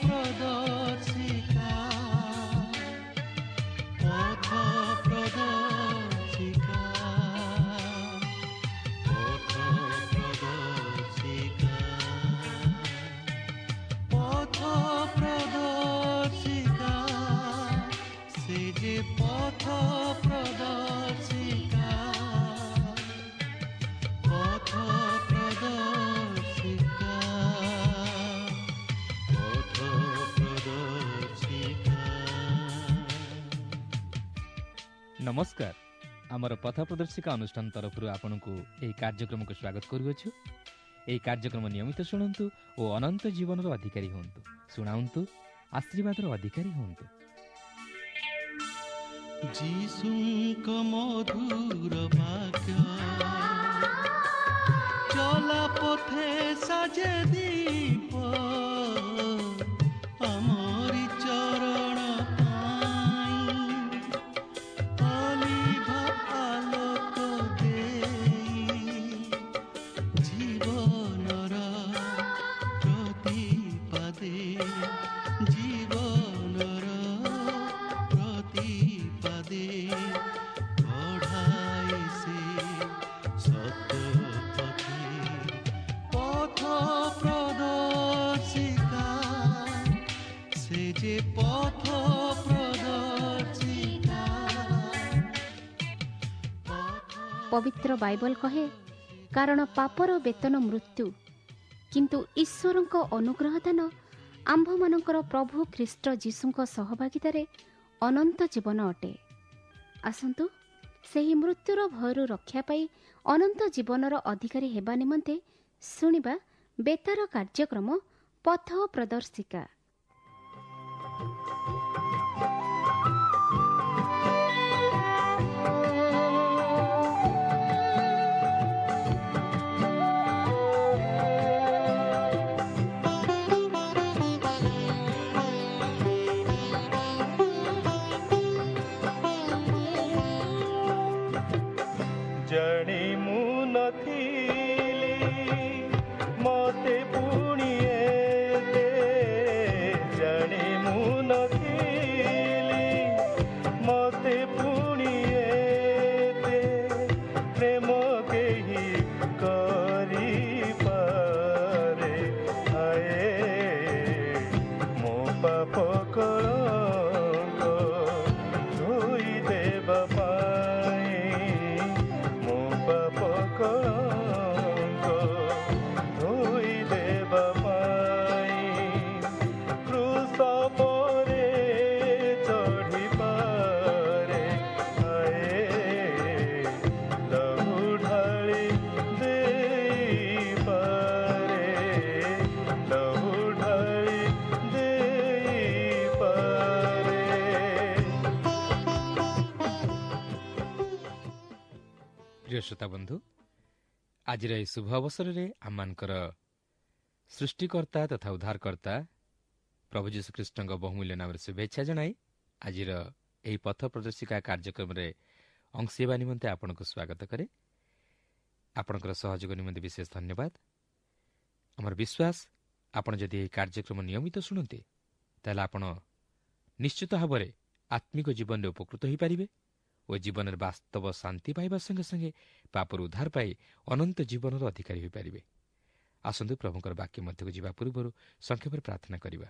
ପ୍ରଦର୍ଶିକା, ପଥ ପ୍ରଦର୍ଶିକା, ପଥ ପ୍ରଦର୍ଶିକା, ପଥ ପ୍ରଦର୍ଶିକା, ସେ ଯେ ପଥ ପ୍ରଦର୍ଶିକା, ପଥ ପ୍ରଦର୍ଶିକା, ପଥ ପ୍ରଦର୍ଶିକା। ନମସ୍କାର। ଆମର ପଥ ପ୍ରଦର୍ଶିକା ଅନୁଷ୍ଠାନ ତରଫରୁ ଆପଣଙ୍କୁ ଏହି କାର୍ଯ୍ୟକ୍ରମକୁ ସ୍ୱାଗତ କରୁଅଛୁ। ଏହି କାର୍ଯ୍ୟକ୍ରମ ନିୟମିତ ଶୁଣନ୍ତୁ ଓ ଅନନ୍ତ ଜୀବନର ଅଧିକାରୀ ହୁଅନ୍ତୁ। ଶୁଣାନ୍ତୁ, ଆଶୀର୍ବାଦର ଅଧିକାରୀ ହୁଅନ୍ତୁ। ଯୀଶୁଙ୍କ ମଧୁର ବାକ୍ୟ ଚଲା ପଥେ ସାଜେ ଦୀପ, ଆମରି ଚରଣ ପାଇଁ ଅଲିଭ ଆଲୋକ ଦେଇ, ଜୀବନର ପ୍ରତିପାଦେ, ଜୀବନର ପ୍ରତିପାଦେ କଢ଼ାଇ ସେ ସତ୍ୟ ପଥେ। ପଥ ପ୍ରଦର୍ଶିକା, ସେ ଯେ ପଥ ପ୍ରଦର୍ଶିକା, ପବିତ୍ର ବାଇବଲ କହେ, କାରଣ ପାପର ବେତନ ମୃତ୍ୟୁ, କିନ୍ତୁ ଈଶ୍ୱରଙ୍କ ଅନୁଗ୍ରହ ଦାନ ଆମ୍ଭମାନଙ୍କର ପ୍ରଭୁ ଖ୍ରୀଷ୍ଟ ଯୀଶୁଙ୍କ ସହଭାଗିତାରେ ଅନନ୍ତ ଜୀବନ ଅଟେ। ଆସନ୍ତୁ ସେହି ମୃତ୍ୟୁର ଭୟରୁ ରକ୍ଷା ପାଇ ଅନନ୍ତ ଜୀବନର ଅଧିକାରୀ ହେବା ନିମନ୍ତେ ଶୁଣିବା ବେତାର କାର୍ଯ୍ୟକ୍ରମ ପଥ ପ୍ରଦର୍ଶିକା। ଜାଣି ମୁଁ ନଥିଲି ମତେ ପୁଣି ଏତେ, ଜାଣି ମୁଁ ନଥିଲି ମତେ ପୁଣି ଏତେ ପ୍ରେମ କେହି କରିପାରେ। ହାଏ, ମୋ ପାପ କଳଙ୍କ ଧୋଇ ଦେବା ପାଇଁ, ମୋ ପାପ କଳଙ୍କ ଧୋଇ ଦେବା ପାଇଁ କ୍ରୁଶ ପରେ ଚଢ଼ିପାରେ। ହାଏ, ଲହୁ ଢାଳି ଦେଇପାରେ, ଲହୁ ଢାଳି ଦେଇପାରେ। ପ୍ରିୟ ଶ୍ରୋତା ବନ୍ଧୁ, ଆଜିର ଏହି ଶୁଭ ଅବସରରେ ଆମମାନଙ୍କର ସୃଷ୍ଟିକର୍ତ୍ତା ତଥା ଉଦ୍ଧାରକର୍ତ୍ତା ପ୍ରଭୁ ଯୀଶୁଖ୍ରୀଷ୍ଟଙ୍କ ବହୁମୂଲ୍ୟ ନାମରେ ଶୁଭେଚ୍ଛା ଜଣାଇ ଆଜିର ଏହି ପଥ ପ୍ରଦର୍ଶିକା କାର୍ଯ୍ୟକ୍ରମରେ ଅଂଶ ହେବା ନିମନ୍ତେ ଆପଣଙ୍କୁ ସ୍ୱାଗତ କରେ। ଆପଣଙ୍କର ସହଯୋଗ ନିମନ୍ତେ ବିଶେଷ ଧନ୍ୟବାଦ। ଆମର ବିଶ୍ୱାସ, ଆପଣ ଯଦି ଏହି କାର୍ଯ୍ୟକ୍ରମ ନିୟମିତ ଶୁଣନ୍ତି, ତାହେଲେ ଆପଣ ନିଶ୍ଚିତ ଭାବରେ ଆତ୍ମିକ ଜୀବନରେ ଉପକୃତ ହୋଇପାରିବେ ଓ ଜୀବନରେ ବାସ୍ତବ ଶାନ୍ତି ପାଇବା ସଙ୍ଗେ ସଙ୍ଗେ ପାପରୁ ଉଦ୍ଧାର ପାଇ ଅନନ୍ତ ଜୀବନର ଅଧିକାରୀ ହୋଇପାରିବେ। ଆସନ୍ତୁ ପ୍ରଭୁଙ୍କର ବାକ୍ୟ ମଧ୍ୟକୁ ଯିବା ପୂର୍ବରୁ ସଂକ୍ଷେପରେ ପ୍ରାର୍ଥନା କରିବା।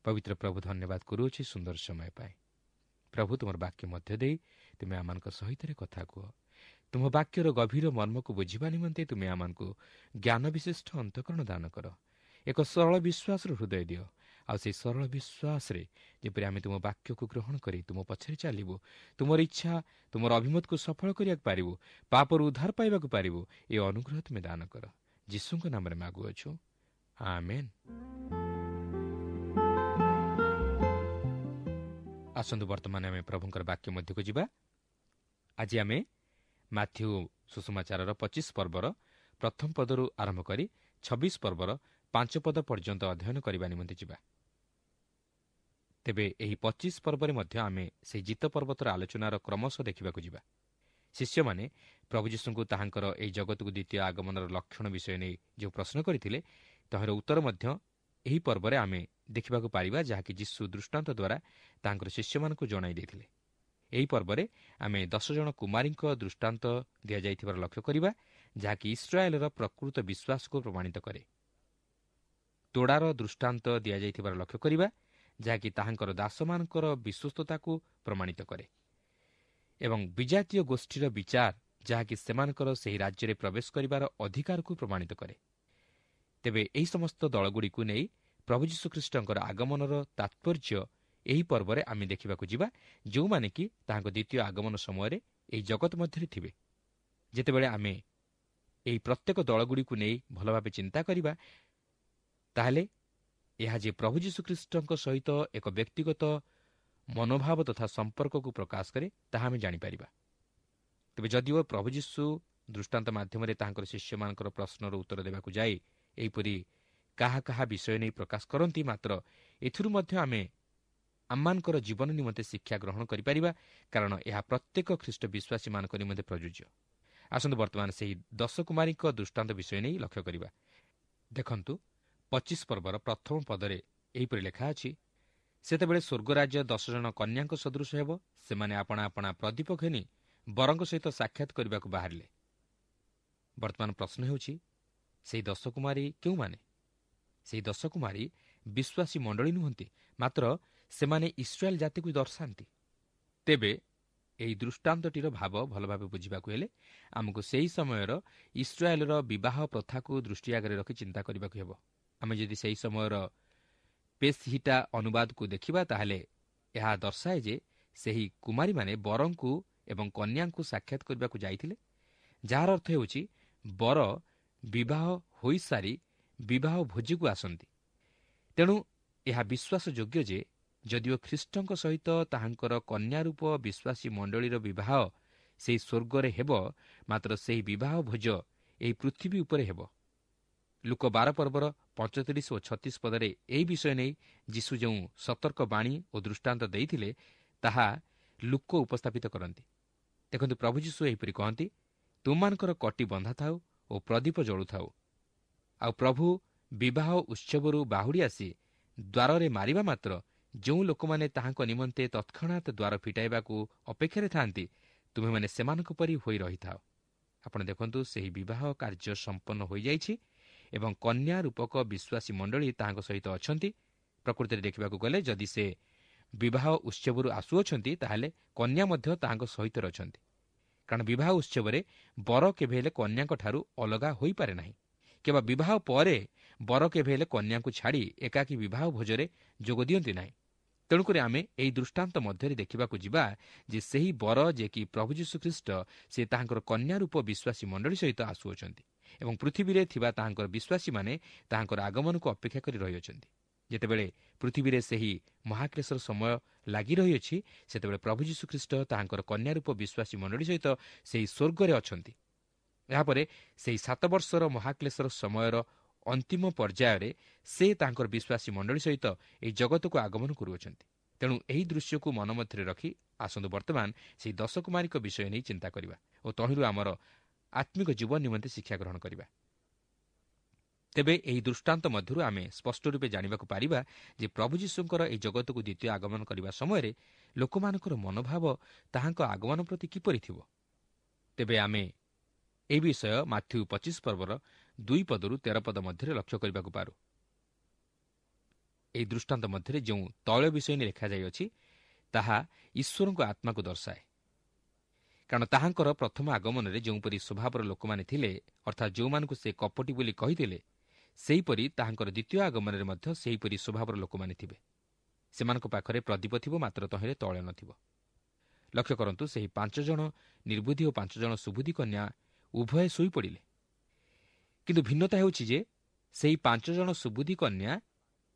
ପବିତ୍ର ପ୍ରଭୁ, ଧନ୍ୟବାଦ କରୁଅଛି ସୁନ୍ଦର ସମୟ ପାଇଁ। ପ୍ରଭୁ, ତୁମର ବାକ୍ୟ ମଧ୍ୟ ଦେଇ ତୁମେ ଆମମାନଙ୍କ ସହିତ କଥା କୁହ। ତୁମ ବାକ୍ୟର ଗଭୀର ମର୍ମକୁ ବୁଝିବା ନିମନ୍ତେ ତୁମେ ଆମମାନଙ୍କୁ ଜ୍ଞାନ ବିଶିଷ୍ଟ ଅନ୍ତଃକରଣ ଦାନ କର। ଏକ ସରଳ ବିଶ୍ୱାସର ହୃଦୟ ଦିଅ, ଆଉ ସେହି ସରଳ ବିଶ୍ୱାସରେ ଯେପରି ଆମେ ତୁମ ବାକ୍ୟକୁ ଗ୍ରହଣ କରି ତୁମ ପଛରେ ଚାଲିବୁ, ତୁମର ଇଚ୍ଛା ତୁମର ଅଭିମତକୁ ସଫଳ କରିବାକୁ ପାରିବୁ, ପାପରୁ ଉଦ୍ଧାର ପାଇବାକୁ ପାରିବୁ, ଏ ଅନୁଗ୍ରହ ତୁମେ ଦାନ କର। ଯୀଶୁଙ୍କ ନାମରେ ମାଗୁଅଛୁ, ଆମେନ୍। ଆସନ୍ତୁ ବର୍ତ୍ତମାନ ଆମେ ପ୍ରଭୁଙ୍କର ବାକ୍ୟ ମଧ୍ୟକୁ ଯିବା। ଆଜି ଆମେ ମାଥ୍ୟୁ ସୁସମାଚାରର 25 ପର୍ବର ପ୍ରଥମ ପଦରୁ ଆରମ୍ଭ କରି 26 ପର୍ବର 5 ପଦ ପର୍ଯ୍ୟନ୍ତ ଅଧ୍ୟୟନ କରିବା ନିମନ୍ତେ ଯିବା। ତେବେ ଏହି 25 ପର୍ବରେ ମଧ୍ୟ ଆମେ ସେହି ଜିତ ପର୍ବତର ଆଲୋଚନାର କ୍ରମଶଃ ଦେଖିବାକୁ ଯିବା। ଶିଷ୍ୟମାନେ ପ୍ରଭୁ ଯୀଶୁଙ୍କୁ ତାହାଙ୍କର ଏହି ଜଗତକୁ ଦ୍ୱିତୀୟ ଆଗମନର ଲକ୍ଷଣ ବିଷୟ ନେଇ ଯେଉଁ ପ୍ରଶ୍ନ କରିଥିଲେ, ତହିଁର ଉତ୍ତର ମଧ୍ୟ ଏହି ପର୍ବରେ ଆମେ ଦେଖିବାକୁ ପାରିବା, ଯାହାକି ଯୀଶୁ ଦୃଷ୍ଟାନ୍ତ ଦ୍ୱାରା ତାଙ୍କର ଶିଷ୍ୟମାନଙ୍କୁ ଜଣାଇ ଦେଇଥିଲେ। ଏହି ପର୍ବରେ ଆମେ 10 ଜଣ କୁମାରୀଙ୍କ ଦୃଷ୍ଟାନ୍ତ ଦିଆଯାଇଥିବାର ଲକ୍ଷ୍ୟ କରିବା, ଯାହାକି ଇସ୍ରାଏଲର ପ୍ରକୃତ ବିଶ୍ୱାସକୁ ପ୍ରମାଣିତ କରେ। ତୋଡ଼ାର ଦୃଷ୍ଟାନ୍ତ ଦିଆଯାଇଥିବାର ଲକ୍ଷ୍ୟ କରିବା, ଯାହାକି ତାହାଙ୍କର ଦାସମାନଙ୍କର ବିଶ୍ୱସ୍ତତାକୁ ପ୍ରମାଣିତ କରେ, ଏବଂ ବିଜାତୀୟ ଗୋଷ୍ଠୀର ବିଚାର, ଯାହାକି ସେମାନଙ୍କର ସେହି ରାଜ୍ୟରେ ପ୍ରବେଶ କରିବାର ଅଧିକାରକୁ ପ୍ରମାଣିତ କରେ। ତେବେ ଏହି ସମସ୍ତ ଦଳଗୁଡ଼ିକୁ ନେଇ ପ୍ରଭୁ ଯୀଶୁଖ୍ରୀଷ୍ଟଙ୍କର ଆଗମନର ତାତ୍ପର୍ଯ୍ୟ ଏହି ପର୍ବରେ ଆମେ ଦେଖିବାକୁ ଯିବା, ଯେଉଁମାନେ କି ତାହାଙ୍କ ଦ୍ୱିତୀୟ ଆଗମନ ସମୟରେ ଏହି ଜଗତ ମଧ୍ୟରେ ଥିବେ। ଯେତେବେଳେ ଆମେ ଏହି ପ୍ରତ୍ୟେକ ଦଳଗୁଡ଼ିକୁ ନେଇ ଭଲ ଭାବେ ଚିନ୍ତା କରିବା, ତାହେଲେ ଏହା ଯେ ପ୍ରଭୁ ଯୀଶୁଖ୍ରୀଷ୍ଟଙ୍କ ସହିତ ଏକ ବ୍ୟକ୍ତିଗତ ମନୋଭାବ ତଥା ସମ୍ପର୍କକୁ ପ୍ରକାଶ କରେ, ତାହା ଆମେ ଜାଣିପାରିବା। ତେବେ ଯଦିଓ ପ୍ରଭୁ ଯୀଶୁ ଦୃଷ୍ଟାନ୍ତ ମାଧ୍ୟମରେ ତାହାଙ୍କର ଶିଷ୍ୟମାନଙ୍କର ପ୍ରଶ୍ନର ଉତ୍ତର ଦେବାକୁ ଯାଇ ଏହିପରି କାହା କାହା ବିଷୟ ନେଇ ପ୍ରକାଶ କରନ୍ତି, ମାତ୍ର ଏଥିରୁ ମଧ୍ୟ ଆମେ ଆମମାନଙ୍କର ଜୀବନ ନିମନ୍ତେ ଶିକ୍ଷା ଗ୍ରହଣ କରିପାରିବା, କାରଣ ଏହା ପ୍ରତ୍ୟେକ ଖ୍ରୀଷ୍ଟ ବିଶ୍ୱାସୀମାନଙ୍କ ନିମନ୍ତେ ପ୍ରଯୁଜ୍ୟ। ଆସନ୍ତୁ ବର୍ତ୍ତମାନ ସେହି 10 କୁମାରୀଙ୍କ ଦୃଷ୍ଟାନ୍ତ ବିଷୟ ନେଇ ଲକ୍ଷ୍ୟ କରିବା। ଦେଖନ୍ତୁ, 25 ପର୍ବର ପ୍ରଥମ ପଦରେ ଏହିପରି ଲେଖା ଅଛି, ସେତେବେଳେ ସ୍ୱର୍ଗରାଜ୍ୟ 10 ଜଣ କନ୍ୟାଙ୍କ ସଦୃଶ ହେବ। ସେମାନେ ଆପଣା ଆପଣା ପ୍ରଦୀପ ଘେନି ବରଙ୍କ ସହିତ ସାକ୍ଷାତ କରିବାକୁ ବାହାରିଲେ। ବର୍ତ୍ତମାନ ପ୍ରଶ୍ନ ହେଉଛି, ସେହି 10 କୁମାରୀ କେଉଁମାନେ? ସେହି 10 କୁମାରୀ ବିଶ୍ୱାସୀ ମଣ୍ଡଳୀ ନୁହନ୍ତି, ମାତ୍ର ସେମାନେ ଇସ୍ରାଏଲ ଜାତିକୁ ଦର୍ଶାନ୍ତି। ତେବେ ଏହି ଦୃଷ୍ଟାନ୍ତଟିର ଭାବ ଭଲ ଭାବେ ବୁଝିବାକୁ ହେଲେ ଆମକୁ ସେହି ସମୟର ଇସ୍ରାଏଲର ବିବାହ ପ୍ରଥାକୁ ଦୃଷ୍ଟି ଆଗରେ ରଖି ଚିନ୍ତା କରିବାକୁ ହେବ। ଆମେ ଯଦି ସେହି ସମୟର ପେସ୍ହିଟା ଅନୁବାଦକୁ ଦେଖିବା, ତାହେଲେ ଏହା ଦର୍ଶାଏ ଯେ ସେହି କୁମାରୀମାନେ ବରଙ୍କୁ ଏବଂ କନ୍ୟାଙ୍କୁ ସାକ୍ଷାତ କରିବାକୁ ଯାଇଥିଲେ, ଯାହାର ଅର୍ଥ ହେଉଛି ବର ବିବାହ ହୋଇସାରି ବିବାହ ଭୋଜିକୁ ଆସନ୍ତି। ତେଣୁ ଏହା ବିଶ୍ୱାସଯୋଗ୍ୟ ଯେ ଯଦିଓ ଖ୍ରୀଷ୍ଟଙ୍କ ସହିତ ତାହାଙ୍କର କନ୍ୟାରୂପ ବିଶ୍ୱାସୀ ମଣ୍ଡଳୀର ବିବାହ ସେହି ସ୍ୱର୍ଗରେ ହେବ, ମାତ୍ର ସେହି ବିବାହ ଭୋଜ ଏହି ପୃଥିବୀ ଉପରେ ହେବ। ଲୂକ 12 ପର୍ବର 35 ଓ 36 ପଦରେ ଏହି ବିଷୟ ନେଇ ଯୀଶୁ ଯେଉଁ ସତର୍କ ବାଣୀ ଓ ଦୃଷ୍ଟାନ୍ତ ଦେଇଥିଲେ, ତାହା ଲୂକ ଉପସ୍ଥାପିତ କରନ୍ତି। ଦେଖନ୍ତୁ, ପ୍ରଭୁ ଯୀଶୁ ଏହିପରି କହନ୍ତି, ତୁମମାନଙ୍କର କଟି ବନ୍ଧା ଥାଉ ଓ ପ୍ରଦୀପ ଜଳୁଥାଉ। ଆଉ ପ୍ରଭୁ ବିବାହ ଉତ୍ସବରୁ ବାହୁଡ଼ି ଆସି ଦ୍ୱାରରେ ମାରିବା ମାତ୍ର ଯେଉଁ ଲୋକମାନେ ତାହାଙ୍କ ନିମନ୍ତେ ତତ୍କ୍ଷଣାତ୍ ଦ୍ୱାର ଫିଟାଇବାକୁ ଅପେକ୍ଷାରେ ଥାଆନ୍ତି, ତୁମେମାନେ ସେମାନଙ୍କ ପରି ହୋଇ ରହିଥାଅ। ଆପଣ ଦେଖନ୍ତୁ, ସେହି ବିବାହ କାର୍ଯ୍ୟ ସମ୍ପନ୍ନ ହୋଇଯାଇଛି ଏବଂ କନ୍ୟା ରୂପକ ବିଶ୍ୱାସୀ ମଣ୍ଡଳୀ ତାହାଙ୍କ ସହିତ ଅଛନ୍ତି। ପ୍ରକୃତିରେ ଦେଖିବାକୁ ଗଲେ ଯଦି ସେ ବିବାହ ଉତ୍ସବରୁ ଆସୁଅଛନ୍ତି, ତାହେଲେ କନ୍ୟା ମଧ୍ୟ ତାହାଙ୍କ ସହିତ ଅଛନ୍ତି, କାରଣ ବିବାହ ଉତ୍ସବରେ ବର କେବେ ହେଲେ କନ୍ୟାଙ୍କଠାରୁ ଅଲଗା ହୋଇପାରେ ନାହିଁ, କିମ୍ବା ବିବାହ ପରେ ବର କେବେ ହେଲେ କନ୍ୟାଙ୍କୁ ଛାଡ଼ି ଏକାକୀ ବିବାହ ଭୋଜରେ ଯୋଗ ଦିଅନ୍ତି ନାହିଁ। ତେଣୁକରି ଆମେ ଏହି ଦୃଷ୍ଟାନ୍ତ ମଧ୍ୟରେ ଦେଖିବାକୁ ଯିବା ଯେ ସେହି ବର, ଯେ କି ପ୍ରଭୁ ଯୀଶୁଖ୍ରୀଷ୍ଟ, ସେ ତାହାଙ୍କର କନ୍ୟା ରୂପ ବିଶ୍ୱାସୀ ମଣ୍ଡଳୀ ସହିତ ଆସୁଅଛନ୍ତି ଏବଂ ପୃଥିବୀରେ ଥିବା ତାହାଙ୍କର ବିଶ୍ୱାସୀମାନେ ତାହାଙ୍କର ଆଗମନକୁ ଅପେକ୍ଷା କରି ରହିଅଛନ୍ତି। ଯେତେବେଳେ ପୃଥିବୀରେ ସେହି ମହାକ୍ଲେଶର ସମୟ ଲାଗି ରହିଅଛି, ସେତେବେଳେ ପ୍ରଭୁ ଯୀଶୁଖ୍ରୀଷ୍ଟ ତାହାଙ୍କର କନ୍ୟା ରୂପ ବିଶ୍ୱାସୀ ମଣ୍ଡଳୀ ସହିତ ସେହି ସ୍ୱର୍ଗରେ ଅଛନ୍ତି। ଏହାପରେ ସେହି 7 ବର୍ଷର ମହାକ୍ଲେଶର ସମୟର ଅନ୍ତିମ ପର୍ଯ୍ୟାୟରେ ସେ ତାଙ୍କର ବିଶ୍ୱାସୀ ମଣ୍ଡଳୀ ସହିତ ଏହି ଜଗତକୁ ଆଗମନ କରୁଅଛନ୍ତି। ତେଣୁ ଏହି ଦୃଶ୍ୟକୁ ମନ ମଧ୍ୟରେ ରଖି ଆସନ୍ତୁ ବର୍ତ୍ତମାନ ସେହି 10 କୁମାରୀଙ୍କ ବିଷୟ ନେଇ ଚିନ୍ତା କରିବା ଓ ତହିଁରୁ ଆମର ଆତ୍ମିକ ଜୀବନ ନିମନ୍ତେ ଶିକ୍ଷା ଗ୍ରହଣ କରିବା। ତେବେ ଏହି ଦୃଷ୍ଟାନ୍ତ ମଧ୍ୟରୁ ଆମେ ସ୍ପଷ୍ଟ ରୂପେ ଜାଣିବାକୁ ପାରିବା ଯେ ପ୍ରଭୁ ଯୀଶୁଙ୍କର ଏହି ଜଗତକୁ ଦ୍ୱିତୀୟ ଆଗମନ କରିବା ସମୟରେ ଲୋକମାନଙ୍କର ମନୋଭାବ ତାହାଙ୍କ ଆଗମନ ପ୍ରତି କିପରି ଥିବ। ତେବେ ଆମେ ଏହି ବିଷୟ ମାଥ୍ୟୁ 25 ପର୍ବର 2 ପଦରୁ 13 ପଦ ମଧ୍ୟରେ ଲକ୍ଷ୍ୟ କରିବାକୁ ପାରୁ। ଏହି ଦୃଷ୍ଟାନ୍ତ ମଧ୍ୟରେ ଯେଉଁ ତୈଳ ବିଷୟ ନେଇ ଲେଖାଯାଇଅଛି, ତାହା ଈଶ୍ୱରଙ୍କ ଆତ୍ମାକୁ ଦର୍ଶାଏ, କାରଣ ତାହାଙ୍କର ପ୍ରଥମ ଆଗମନରେ ଯେଉଁପରି ସ୍ୱଭାବର ଲୋକମାନେ ଥିଲେ, ଅର୍ଥାତ୍ ଯେଉଁମାନଙ୍କୁ ସେ କପଟି ବୋଲି କହିଥିଲେ, ସେହିପରି ତାହାଙ୍କର ଦ୍ୱିତୀୟ ଆଗମନରେ ମଧ୍ୟ ସେହିପରି ସ୍ୱଭାବର ଲୋକମାନେ ଥିବେ। ସେମାନଙ୍କ ପାଖରେ ପ୍ରଦୀପ ଥିବ, ମାତ୍ର ତହିଁରେ ତୈଳ ନଥିବ। ଲକ୍ଷ୍ୟ କରନ୍ତୁ, ସେହି 5 ଜଣ ନିର୍ବୁଦ୍ଧି ଓ 5 ଜଣ ସୁବୁଦ୍ଧି କନ୍ୟା ଉଭୟେ ଶୋଇପଡ଼ିଲେ, କିନ୍ତୁ ଭିନ୍ନତା ହେଉଛି ଯେ ସେହି 5 ଜଣ ସୁବୁଦ୍ଧି କନ୍ୟା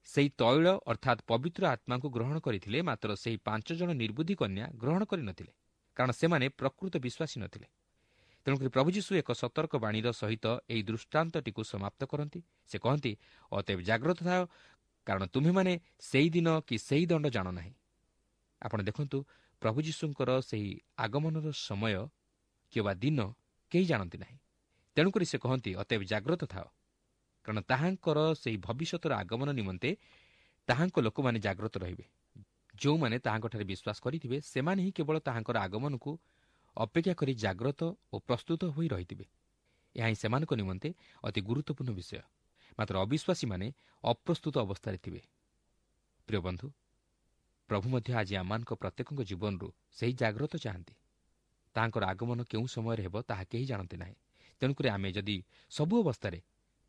ସେହି ତୈଳ ଅର୍ଥାତ୍ ପବିତ୍ର ଆତ୍ମାଙ୍କୁ ଗ୍ରହଣ କରିଥିଲେ, ମାତ୍ର ସେହି 5 ଜଣ ନିର୍ବୁଦ୍ଧି କନ୍ୟା ଗ୍ରହଣ କରିନଥିଲେ, କାରଣ ସେମାନେ ପ୍ରକୃତ ବିଶ୍ୱାସୀ ନଥିଲେ। ତେଣୁକରି ପ୍ରଭୁ ଯୀଶୁ ଏକ ସତର୍କ ବାଣୀର ସହିତ ଏହି ଦୃଷ୍ଟାନ୍ତଟିକୁ ସମାପ୍ତ କରନ୍ତି। ସେ କହନ୍ତି, ଅତଏବ ଜାଗ୍ରତ ଥାଅ, କାରଣ ତୁମ୍ଭେମାନେ ସେହି ଦିନ କି ସେହି ଦଣ୍ଡ ଜାଣ ନାହିଁ। ଆପଣ ଦେଖନ୍ତୁ, ପ୍ରଭୁ ଯୀଶୁଙ୍କର ସେହି ଆଗମନର ସମୟ କିମ୍ବା ଦିନ କେହି ଜାଣନ୍ତି ନାହିଁ। ତେଣୁକରି ସେ କହନ୍ତି, ଅତଏବ ଜାଗ୍ରତ ଥାଅ। କାରଣ ତାହାଙ୍କର ସେହି ଭବିଷ୍ୟତର ଆଗମନ ନିମନ୍ତେ ତାହାଙ୍କ ଲୋକମାନେ ଜାଗ୍ରତ ରହିବେ। ଯେଉଁମାନେ ତାହାଙ୍କଠାରେ ବିଶ୍ୱାସ କରିଥିବେ ସେମାନେ ହିଁ କେବଳ ତାହାଙ୍କର ଆଗମନକୁ ଅପେକ୍ଷା କରି ଜାଗ୍ରତ ଓ ପ୍ରସ୍ତୁତ ହୋଇ ରହିଥିବେ। ଏହା ହିଁ ସେମାନଙ୍କ ନିମନ୍ତେ ଅତି ଗୁରୁତ୍ୱପୂର୍ଣ୍ଣ ବିଷୟ। ମାତ୍ର ଅବିଶ୍ୱାସୀମାନେ ଅପ୍ରସ୍ତୁତ ଅବସ୍ଥାରେ ଥିବେ। ପ୍ରିୟ ବନ୍ଧୁ, ପ୍ରଭୁ ମଧ୍ୟ ଆଜି ଆମମାନଙ୍କ ପ୍ରତ୍ୟେକଙ୍କ ଜୀବନରୁ ସେହି ଜାଗ୍ରତ ଚାହାନ୍ତି। ତାହାଙ୍କର ଆଗମନ କେଉଁ ସମୟରେ ହେବ ତାହା କେହି ଜାଣନ୍ତି ନାହିଁ। ତେଣୁକରି ଆମେ ଯଦି ସବୁ ଅବସ୍ଥାରେ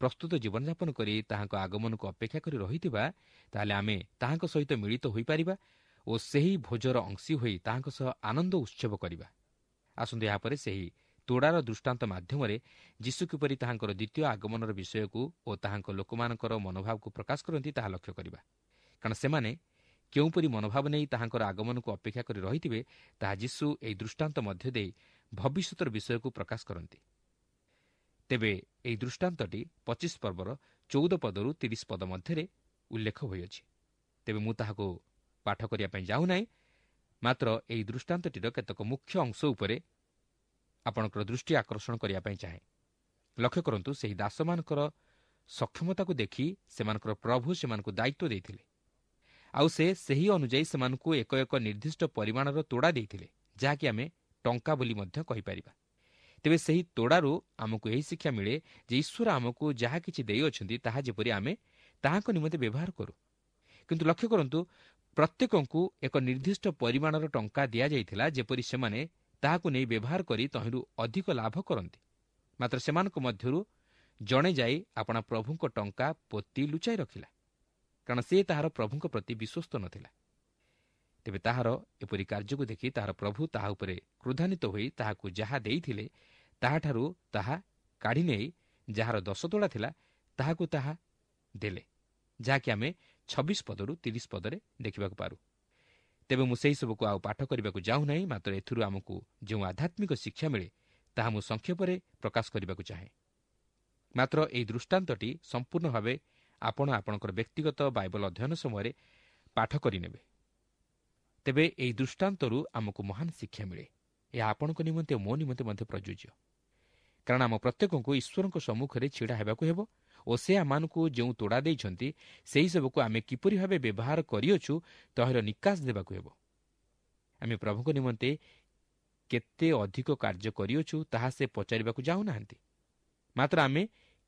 ପ୍ରସ୍ତୁତ ଜୀବନଯାପନ କରି ତାହାଙ୍କ ଆଗମନକୁ ଅପେକ୍ଷା କରି ରହିଥିବା, ତାହେଲେ ଆମେ ତାହାଙ୍କ ସହିତ ମିଳିତ ହୋଇପାରିବା ଓ ସେହି ଭୋଜର ଅଂଶୀ ହୋଇ ତାହାଙ୍କ ସହ ଆନନ୍ଦ ଉତ୍ସବ କରିବା। ଆସନ୍ତୁ ଏହାପରେ ସେହି ତୋଡ଼ାର ଦୃଷ୍ଟାନ୍ତ ମାଧ୍ୟମରେ ଯୀଶୁ କିପରି ତାହାଙ୍କର ଦ୍ୱିତୀୟ ଆଗମନର ବିଷୟକୁ ଓ ତାହାଙ୍କ ଲୋକମାନଙ୍କର ମନୋଭାବକୁ ପ୍ରକାଶ କରନ୍ତି ତାହା ଲକ୍ଷ୍ୟ କରିବା। କାରଣ ସେମାନେ କେଉଁପରି ମନୋଭାବ ନେଇ ତାହାଙ୍କର ଆଗମନକୁ ଅପେକ୍ଷା କରି ରହିଥିବେ ତାହା ଯୀଶୁ ଏହି ଦୃଷ୍ଟାନ୍ତ ମଧ୍ୟ ଦେଇ ଭବିଷ୍ୟତର ବିଷୟକୁ ପ୍ରକାଶ କରନ୍ତି। ତେବେ ଏହି ଦୃଷ୍ଟାନ୍ତଟି 25 ପର୍ବର 14 ପଦରୁ 30 ପଦ ମଧ୍ୟରେ ଉଲ୍ଲେଖ ହୋଇଅଛି। ତେବେ ମୁଁ ତାହାକୁ ପାଠ କରିବା ପାଇଁ ଯାଉନାହିଁ, ମାତ୍ର ଏହି ଦୃଷ୍ଟାନ୍ତଟିର କେତେକ ମୁଖ୍ୟ ଅଂଶ ଉପରେ ଆପଣଙ୍କର ଦୃଷ୍ଟି ଆକର୍ଷଣ କରିବା ପାଇଁ ଚାହେଁ। ଲକ୍ଷ୍ୟ କରନ୍ତୁ, ସେହି ଦାସମାନଙ୍କର ସକ୍ଷମତାକୁ ଦେଖି ସେମାନଙ୍କର ପ୍ରଭୁ ସେମାନଙ୍କୁ ଦାୟିତ୍ୱ ଦେଇଥିଲେ, ଆଉ ସେ ସେହି ଅନୁଯାୟୀ ସେମାନଙ୍କୁ ଏକ ଏକ ନିର୍ଦ୍ଦିଷ୍ଟ ପରିମାଣର ତୋଡ଼ା ଦେଇଥିଲେ, ଯାହାକି ଆମେ ଟଙ୍କା ବୋଲି ମଧ୍ୟ କହିପାରିବା। ତେବେ ସେହି ତୋଡ଼ାରୁ ଆମକୁ ଏହି ଶିକ୍ଷା ମିଳେ ଯେ ଈଶ୍ୱର ଆମକୁ ଯାହା କିଛି ଦେଇଅଛନ୍ତି ତାହା ଯେପରି ଆମେ ତାହାଙ୍କ ନିମନ୍ତେ ବ୍ୟବହାର କରୁ। କିନ୍ତୁ ଲକ୍ଷ୍ୟ କରନ୍ତୁ, ପ୍ରତ୍ୟେକଙ୍କୁ ଏକ ନିର୍ଦ୍ଦିଷ୍ଟ ପରିମାଣର ଟଙ୍କା ଦିଆଯାଇଥିଲା ଯେପରି ସେମାନେ ତାହାକୁ ନେଇ ବ୍ୟବହାର କରି ତହିଁରୁ ଅଧିକ ଲାଭ କରନ୍ତି। ମାତ୍ର ସେମାନଙ୍କ ମଧ୍ୟରୁ ଜଣେ ଯାଇ ଆପଣା ପ୍ରଭୁଙ୍କ ଟଙ୍କା ପୋତି ଲୁଚାଇ ରଖିଲା, କାରଣ ସେ ତାହାର ପ୍ରଭୁଙ୍କ ପ୍ରତି ବିଶ୍ୱସ୍ତ ନଥିଲା। ତେବେ ତାହାର ଏପରି କାର୍ଯ୍ୟକୁ ଦେଖି ତାହାର ପ୍ରଭୁ ତାହା ଉପରେ କ୍ରୋଧାନ୍ୱିତ ହୋଇ ତାହାକୁ ଯାହା ଦେଇଥିଲେ ତାହାଠାରୁ ତାହା କାଢ଼ି ନେଇ ଯାହାର 10 ତୋଳା ଥିଲା ତାହାକୁ ତାହା ଦେଲେ, ଯାହାକି ଆମେ 26 ପଦରୁ 30 ପଦରେ ଦେଖିବାକୁ ପାରୁ। ତେବେ ମୁଁ ସେହିସବୁକୁ ଆଉ ପାଠ କରିବାକୁ ଯାଉନାହିଁ, ମାତ୍ର ଏଥିରୁ ଆମକୁ ଯେଉଁ ଆଧ୍ୟାତ୍ମିକ ଶିକ୍ଷା ମିଳେ ତାହା ମୁଁ ସଂକ୍ଷେପରେ ପ୍ରକାଶ କରିବାକୁ ଚାହେଁ। ମାତ୍ର ଏହି ଦୃଷ୍ଟାନ୍ତଟି ସମ୍ପୂର୍ଣ୍ଣ ଭାବେ ଆପଣ ଆପଣଙ୍କର ବ୍ୟକ୍ତିଗତ ବାଇବଲ ଅଧ୍ୟୟନ ସମୟରେ ପାଠ କରିନେବେ। ତେବେ ଏହି ଦୃଷ୍ଟାନ୍ତରୁ ଆମକୁ ମହାନ ଶିକ୍ଷା ମିଳେ। ଏହା ଆପଣଙ୍କ ନିମନ୍ତେ ଓ ମୋ ନିମନ୍ତେ ମଧ୍ୟ ପ୍ରଯୁଜ୍ୟ, କାରଣ ଆମ ପ୍ରତ୍ୟେକଙ୍କୁ ଈଶ୍ୱରଙ୍କ ସମ୍ମୁଖରେ ଛିଡ଼ା ହେବାକୁ ହେବ ଓ ସେ ଆମମାନଙ୍କୁ ଯେଉଁ ତୋଡ଼ା ଦେଇଛନ୍ତି ସେହିସବୁକୁ ଆମେ କିପରି ଭାବେ ବ୍ୟବହାର କରିଅଛୁ ତହିଁର ନିକାଶ ଦେବାକୁ ହେବ। ଆମେ ପ୍ରଭୁଙ୍କ ନିମନ୍ତେ କେତେ ଅଧିକ କାର୍ଯ୍ୟ କରିଅଛୁ ତାହା ସେ ପଚାରିବାକୁ ଯାଉନାହାନ୍ତି, ମାତ୍ର ଆମେ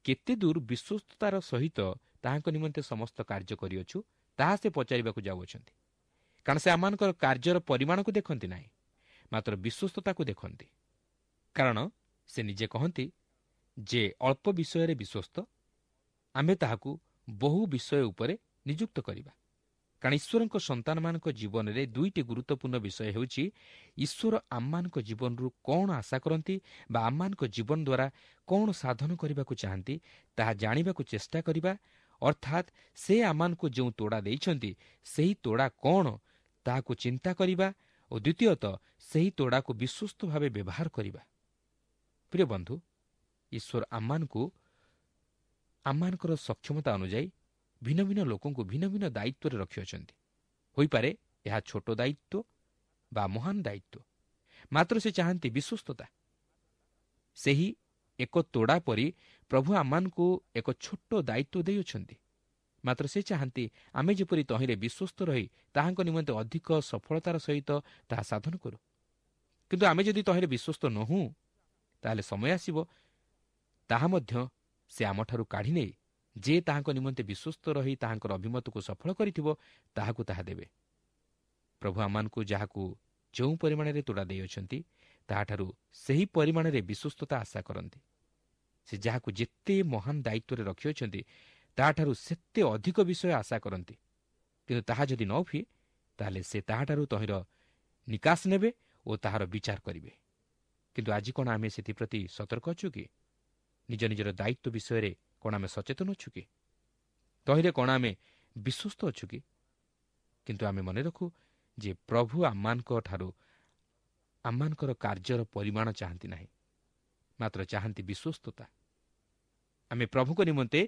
କେତେ ଦୂର ବିଶ୍ୱସ୍ତତାର ସହିତ ତାହାଙ୍କ ନିମନ୍ତେ ସମସ୍ତ କାର୍ଯ୍ୟ କରିଅଛୁ ତାହା ସେ ପଚାରିବାକୁ ଯାଉଅଛନ୍ତି। କାରଣ ସେ ଆମମାନଙ୍କର କାର୍ଯ୍ୟର ପରିମାଣକୁ ଦେଖନ୍ତି ନାହିଁ, ମାତ୍ର ବିଶ୍ୱସ୍ତତାକୁ ଦେଖନ୍ତି। କାରଣ ସେ ନିଜେ କହନ୍ତି ଯେ ଅଳ୍ପ ବିଷୟରେ ବିଶ୍ୱସ୍ତ, ଆମେ ତାହାକୁ ବହୁ ବିଷୟ ଉପରେ ନିଯୁକ୍ତ କରିବା। କାରଣ ଈଶ୍ୱରଙ୍କ ସନ୍ତାନମାନଙ୍କ ଜୀବନରେ ଦୁଇଟି ଗୁରୁତ୍ୱପୂର୍ଣ୍ଣ ବିଷୟ ହେଉଛି ଈଶ୍ୱର ଆମମାନଙ୍କ ଜୀବନରୁ କ'ଣ ଆଶା କରନ୍ତି ବା ଆମମାନଙ୍କ ଜୀବନ ଦ୍ୱାରା କ'ଣ ସାଧନ କରିବାକୁ ଚାହାନ୍ତି ତାହା ଜାଣିବାକୁ ଚେଷ୍ଟା କରିବା, ଅର୍ଥାତ୍ ସେ ଆମମାନଙ୍କୁ ଯେଉଁ ତୋଡ଼ା ଦେଇଛନ୍ତି ସେହି ତୋଡ଼ା କ'ଣ ତାହାକୁ ଚିନ୍ତା କରିବା ଓ ଦ୍ୱିତୀୟତଃ ସେହି ତୋଡ଼ାକୁ ବିଶ୍ୱସ୍ତ ଭାବେ ବ୍ୟବହାର କରିବା। ପ୍ରିୟ ବନ୍ଧୁ, ଈଶ୍ୱର ଆମମାନଙ୍କୁ ଆମମାନଙ୍କର ସକ୍ଷମତା ଅନୁଯାୟୀ ଭିନ୍ନ ଭିନ୍ନ ଲୋକଙ୍କୁ ଭିନ୍ନ ଭିନ୍ନ ଦାୟିତ୍ୱରେ ରଖିଅଛନ୍ତି। ହୋଇପାରେ ଏହା ଛୋଟ ଦାୟିତ୍ୱ ବା ମହାନ ଦାୟିତ୍ୱ, ମାତ୍ର ସେ ଚାହାନ୍ତି ବିଶ୍ୱସ୍ତତା। ସେହି ଏକ ତୋଡ଼ା ପରି ପ୍ରଭୁ ଆମମାନଙ୍କୁ ଏକ ଛୋଟ ଦାୟିତ୍ୱ ଦେଇଅଛନ୍ତି, ମାତ୍ର ସେ ଚାହାନ୍ତି ଆମେ ଯେପରି ତହିଁରେ ବିଶ୍ୱସ୍ତ ରହି ତାହାଙ୍କ ନିମନ୍ତେ ଅଧିକ ସଫଳତାର ସହିତ ତାହା ସାଧନ କରୁ। କିନ୍ତୁ ଆମେ ଯଦି ତହିଁରେ ବିଶ୍ୱସ୍ତ ନହୁଁ, ତାହେଲେ ସମୟ ଆସିବ ତାହା ମଧ୍ୟ ସେ ଆମଠାରୁ କାଢ଼ି ନେଇ ଯେ ତାହାଙ୍କ ନିମନ୍ତେ ବିଶ୍ୱସ୍ତ ରହି ତାହାଙ୍କର ଅଭିମତକୁ ସଫଳ କରିଥିବ ତାହାକୁ ତାହା ଦେବେ। ପ୍ରଭୁ ଆମମାନଙ୍କୁ ଯାହାକୁ ଯେଉଁ ପରିମାଣରେ ତୋଡ଼ା ଦେଇଅଛନ୍ତି ତାହାଠାରୁ ସେହି ପରିମାଣରେ ବିଶ୍ୱସ୍ତତା ଆଶା କରନ୍ତି। ସେ ଯାହାକୁ ଯେତେ ମହାନ ଦାୟିତ୍ୱରେ ରଖିଅଛନ୍ତି ତାହାଠାରୁ ସେତେ ଅଧିକ ବିଷୟ ଆଶା କରନ୍ତି। କିନ୍ତୁ ତାହା ଯଦି ନ ହୁଏ, ତାହେଲେ ସେ ତାହାଠାରୁ ତହିଁର ନିକାଶ ନେବେ ଓ ତାହାର ବିଚାର କରିବେ। କିନ୍ତୁ ଆଜି କ'ଣ ଆମେ ସେଥିପ୍ରତି ସତର୍କ ଅଛୁ କି? ନିଜ ନିଜର ଦାୟିତ୍ୱ ବିଷୟରେ କ'ଣ ଆମେ ସଚେତନ ଅଛୁ କି? ତହିଁରେ କ'ଣ ଆମେ ବିଶ୍ୱସ୍ତ ଅଛୁ କି? କିନ୍ତୁ ଆମେ ମନେ ରଖୁ ଯେ ପ୍ରଭୁ ଆମମାନଙ୍କ ଠାରୁ ଆମମାନଙ୍କର କାର୍ଯ୍ୟର ପରିମାଣ ଚାହାନ୍ତି ନାହିଁ, ମାତ୍ର ଚାହାନ୍ତି ବିଶ୍ୱସ୍ତତା। ଆମେ ପ୍ରଭୁଙ୍କ ନିମନ୍ତେ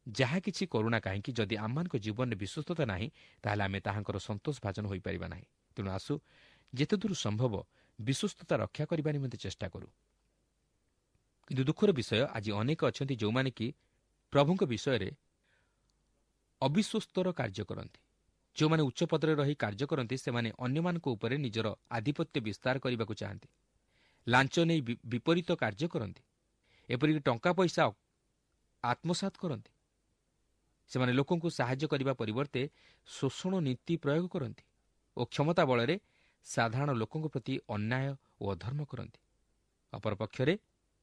ଯାହା କିଛି କରୁଣା କାହିଁକି, ଯଦି ଆମମାନଙ୍କ ଜୀବନରେ ବିଶ୍ୱସ୍ତତା ନାହିଁ, ତାହେଲେ ଆମେ ତାହାଙ୍କର ସନ୍ତୋଷ ଭାଜନ ହୋଇପାରିବା ନାହିଁ। ତେଣୁ ଆସୁ ଯେତେଦୂର ସମ୍ଭବ ବିଶ୍ୱସ୍ତତା ରକ୍ଷା କରିବା ନିମନ୍ତେ ଚେଷ୍ଟା କରୁ। କିନ୍ତୁ ଦୁଃଖର ବିଷୟ, ଆଜି ଅନେକ ଅଛନ୍ତି ଯେଉଁମାନେ କି ପ୍ରଭୁଙ୍କ ବିଷୟରେ ଅବିଶ୍ୱସ୍ତର କାର୍ଯ୍ୟ କରନ୍ତି। ଯେଉଁମାନେ ଉଚ୍ଚ ପଦରେ ରହି କାର୍ଯ୍ୟ କରନ୍ତି, ସେମାନେ ଅନ୍ୟମାନଙ୍କ ଉପରେ ନିଜର ଆଧିପତ୍ୟ ବିସ୍ତାର କରିବାକୁ ଚାହାନ୍ତି, ଲାଞ୍ଚ ନେଇ ବିପରୀତ କାର୍ଯ୍ୟ କରନ୍ତି, ଏପରିକି ଟଙ୍କା ପଇସା ଆତ୍ମସାତ କରନ୍ତି। ସେମାନେ ଲୋକଙ୍କୁ ସାହାଯ୍ୟ କରିବା ପରିବର୍ତ୍ତେ ଶୋଷଣ ନୀତି ପ୍ରୟୋଗ କରନ୍ତି ଓ କ୍ଷମତା ବଳରେ ସାଧାରଣ ଲୋକଙ୍କ ପ୍ରତି ଅନ୍ୟାୟ ଓ ଅଧର୍ମ କରନ୍ତି। ଅପରପକ୍ଷରେ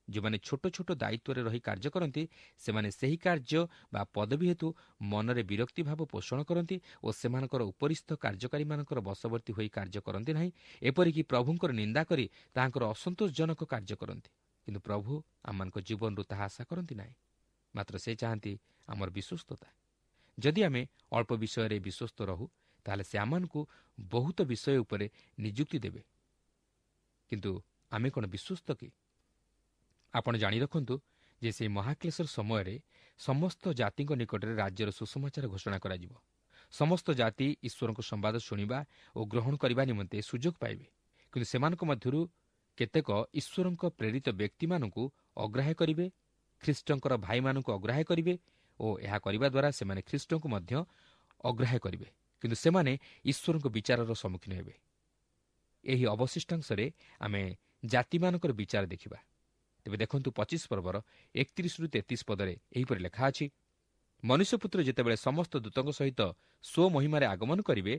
ଯେଉଁମାନେ ଛୋଟ ଛୋଟ ଦାୟିତ୍ୱରେ ରହି କାର୍ଯ୍ୟ କରନ୍ତି, ସେମାନେ ସେହି କାର୍ଯ୍ୟ ବା ପଦବୀ ହେତୁ ମନରେ ବିରକ୍ତି ଭାବ ପୋଷଣ କରନ୍ତି ଓ ସେମାନଙ୍କର ଉପରିସ୍ଥ କାର୍ଯ୍ୟକାରୀମାନଙ୍କର ବଶବର୍ତ୍ତୀ ହୋଇ କାର୍ଯ୍ୟ କରନ୍ତି ନାହିଁ, ଏପରିକି ପ୍ରଭୁଙ୍କର ନିନ୍ଦା କରି ତାହାଙ୍କର ଅସନ୍ତୋଷଜନକ କାର୍ଯ୍ୟ କରନ୍ତି। କିନ୍ତୁ ପ୍ରଭୁ ଆମମାନଙ୍କ ଜୀବନରୁ ତାହା ଆଶା କରନ୍ତି ନାହିଁ, ମାତ୍ର ସେ ଚାହାନ୍ତି ଆମର ବିଶ୍ୱସ୍ତତା। ଯଦି ଆମେ ଅଳ୍ପ ବିଷୟରେ ବିଶ୍ୱସ୍ତ ରହୁ, ତାହେଲେ ସେ ଆମମାନଙ୍କୁ ବହୁତ ବିଷୟ ଉପରେ ନିଯୁକ୍ତି ଦେବେ। କିନ୍ତୁ ଆମେ କ'ଣ ବିଶ୍ୱସ୍ତ କି? ଆପଣ ଜାଣି ରଖନ୍ତୁ ଯେ ସେହି ମହାକ୍ଲେଶର ସମୟରେ ସମସ୍ତ ଜାତିଙ୍କ ନିକଟରେ ରାଜ୍ୟର ସୁସମାଚାର ଘୋଷଣା କରାଯିବ। ସମସ୍ତ ଜାତି ଈଶ୍ୱରଙ୍କ ସମ୍ବାଦ ଶୁଣିବା ଓ ଗ୍ରହଣ କରିବା ନିମନ୍ତେ ସୁଯୋଗ ପାଇବେ। କିନ୍ତୁ ସେମାନଙ୍କ ମଧ୍ୟରୁ କେତେକ ଈଶ୍ୱରଙ୍କ ପ୍ରେରିତ ବ୍ୟକ୍ତିମାନଙ୍କୁ ଅଗ୍ରାହ୍ୟ କରିବେ, ଖ୍ରୀଷ୍ଟଙ୍କର ଭାଇମାନଙ୍କୁ ଅଗ୍ରାହ୍ୟ କରିବେ ଓ ଏହା କରିବା ଦ୍ୱାରା ସେମାନେ ଖ୍ରୀଷ୍ଟଙ୍କୁ ମଧ୍ୟ ଅଗ୍ରାହ୍ୟ କରିବେ। କିନ୍ତୁ ସେମାନେ ଈଶ୍ୱରଙ୍କ ବିଚାରର ସମ୍ମୁଖୀନ ହେବେ। ଏହି ଅବଶିଷ୍ଟାଂଶରେ ଆମେ ଜାତିମାନଙ୍କର ବିଚାର ଦେଖିବା। ତେବେ ଦେଖନ୍ତୁ 25 ପର୍ବର 31ରୁ 33 ପଦରେ ଏହିପରି ଲେଖା ଅଛି, ମନୁଷ୍ୟପୁତ୍ର ଯେତେବେଳେ ସମସ୍ତ ଦୂତଙ୍କ ସହିତ ସ୍ୱମହିମାରେ ଆଗମନ କରିବେ,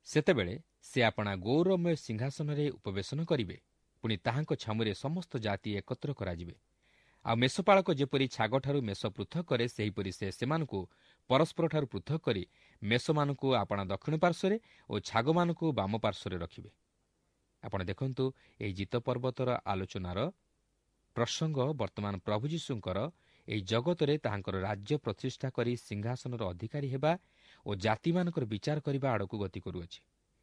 ସେତେବେଳେ ସେ ଆପଣା ଗୌରବମୟ ସିଂହାସନରେ ଉପବେଶନ କରିବେ। ପୁଣି ତାହାଙ୍କ ଛାମୁରେ ସମସ୍ତ ଜାତି ଏକତ୍ର କରାଯିବେ। ଆଉ ମେଷପାଳକ ଯେପରି ଛାଗଠାରୁ ମେଷ ପୃଥକ କରେ, ସେହିପରି ସେ ସେମାନଙ୍କୁ ପରସ୍ପରଠାରୁ ପୃଥକ କରି ମେଷମାନଙ୍କୁ ଆପଣା ଦକ୍ଷିଣ ପାର୍ଶ୍ୱରେ ଓ ଛାଗମାନଙ୍କୁ ବାମ ପାର୍ଶ୍ୱରେ ରଖିବେ। ଆପଣ ଦେଖନ୍ତୁ, ଏହି ଜିତ ପର୍ବତର ଆଲୋଚନାର ପ୍ରସଙ୍ଗ ବର୍ତ୍ତମାନ ପ୍ରଭୁ ଯୀଶୁଙ୍କର ଏହି ଜଗତରେ ତାହାଙ୍କର ରାଜ୍ୟ ପ୍ରତିଷ୍ଠା କରି ସିଂହାସନର ଅଧିକାରୀ ହେବା ଓ ଜାତିମାନଙ୍କର ବିଚାର କରିବା ଆଡ଼କୁ ଗତି କରୁଅଛି।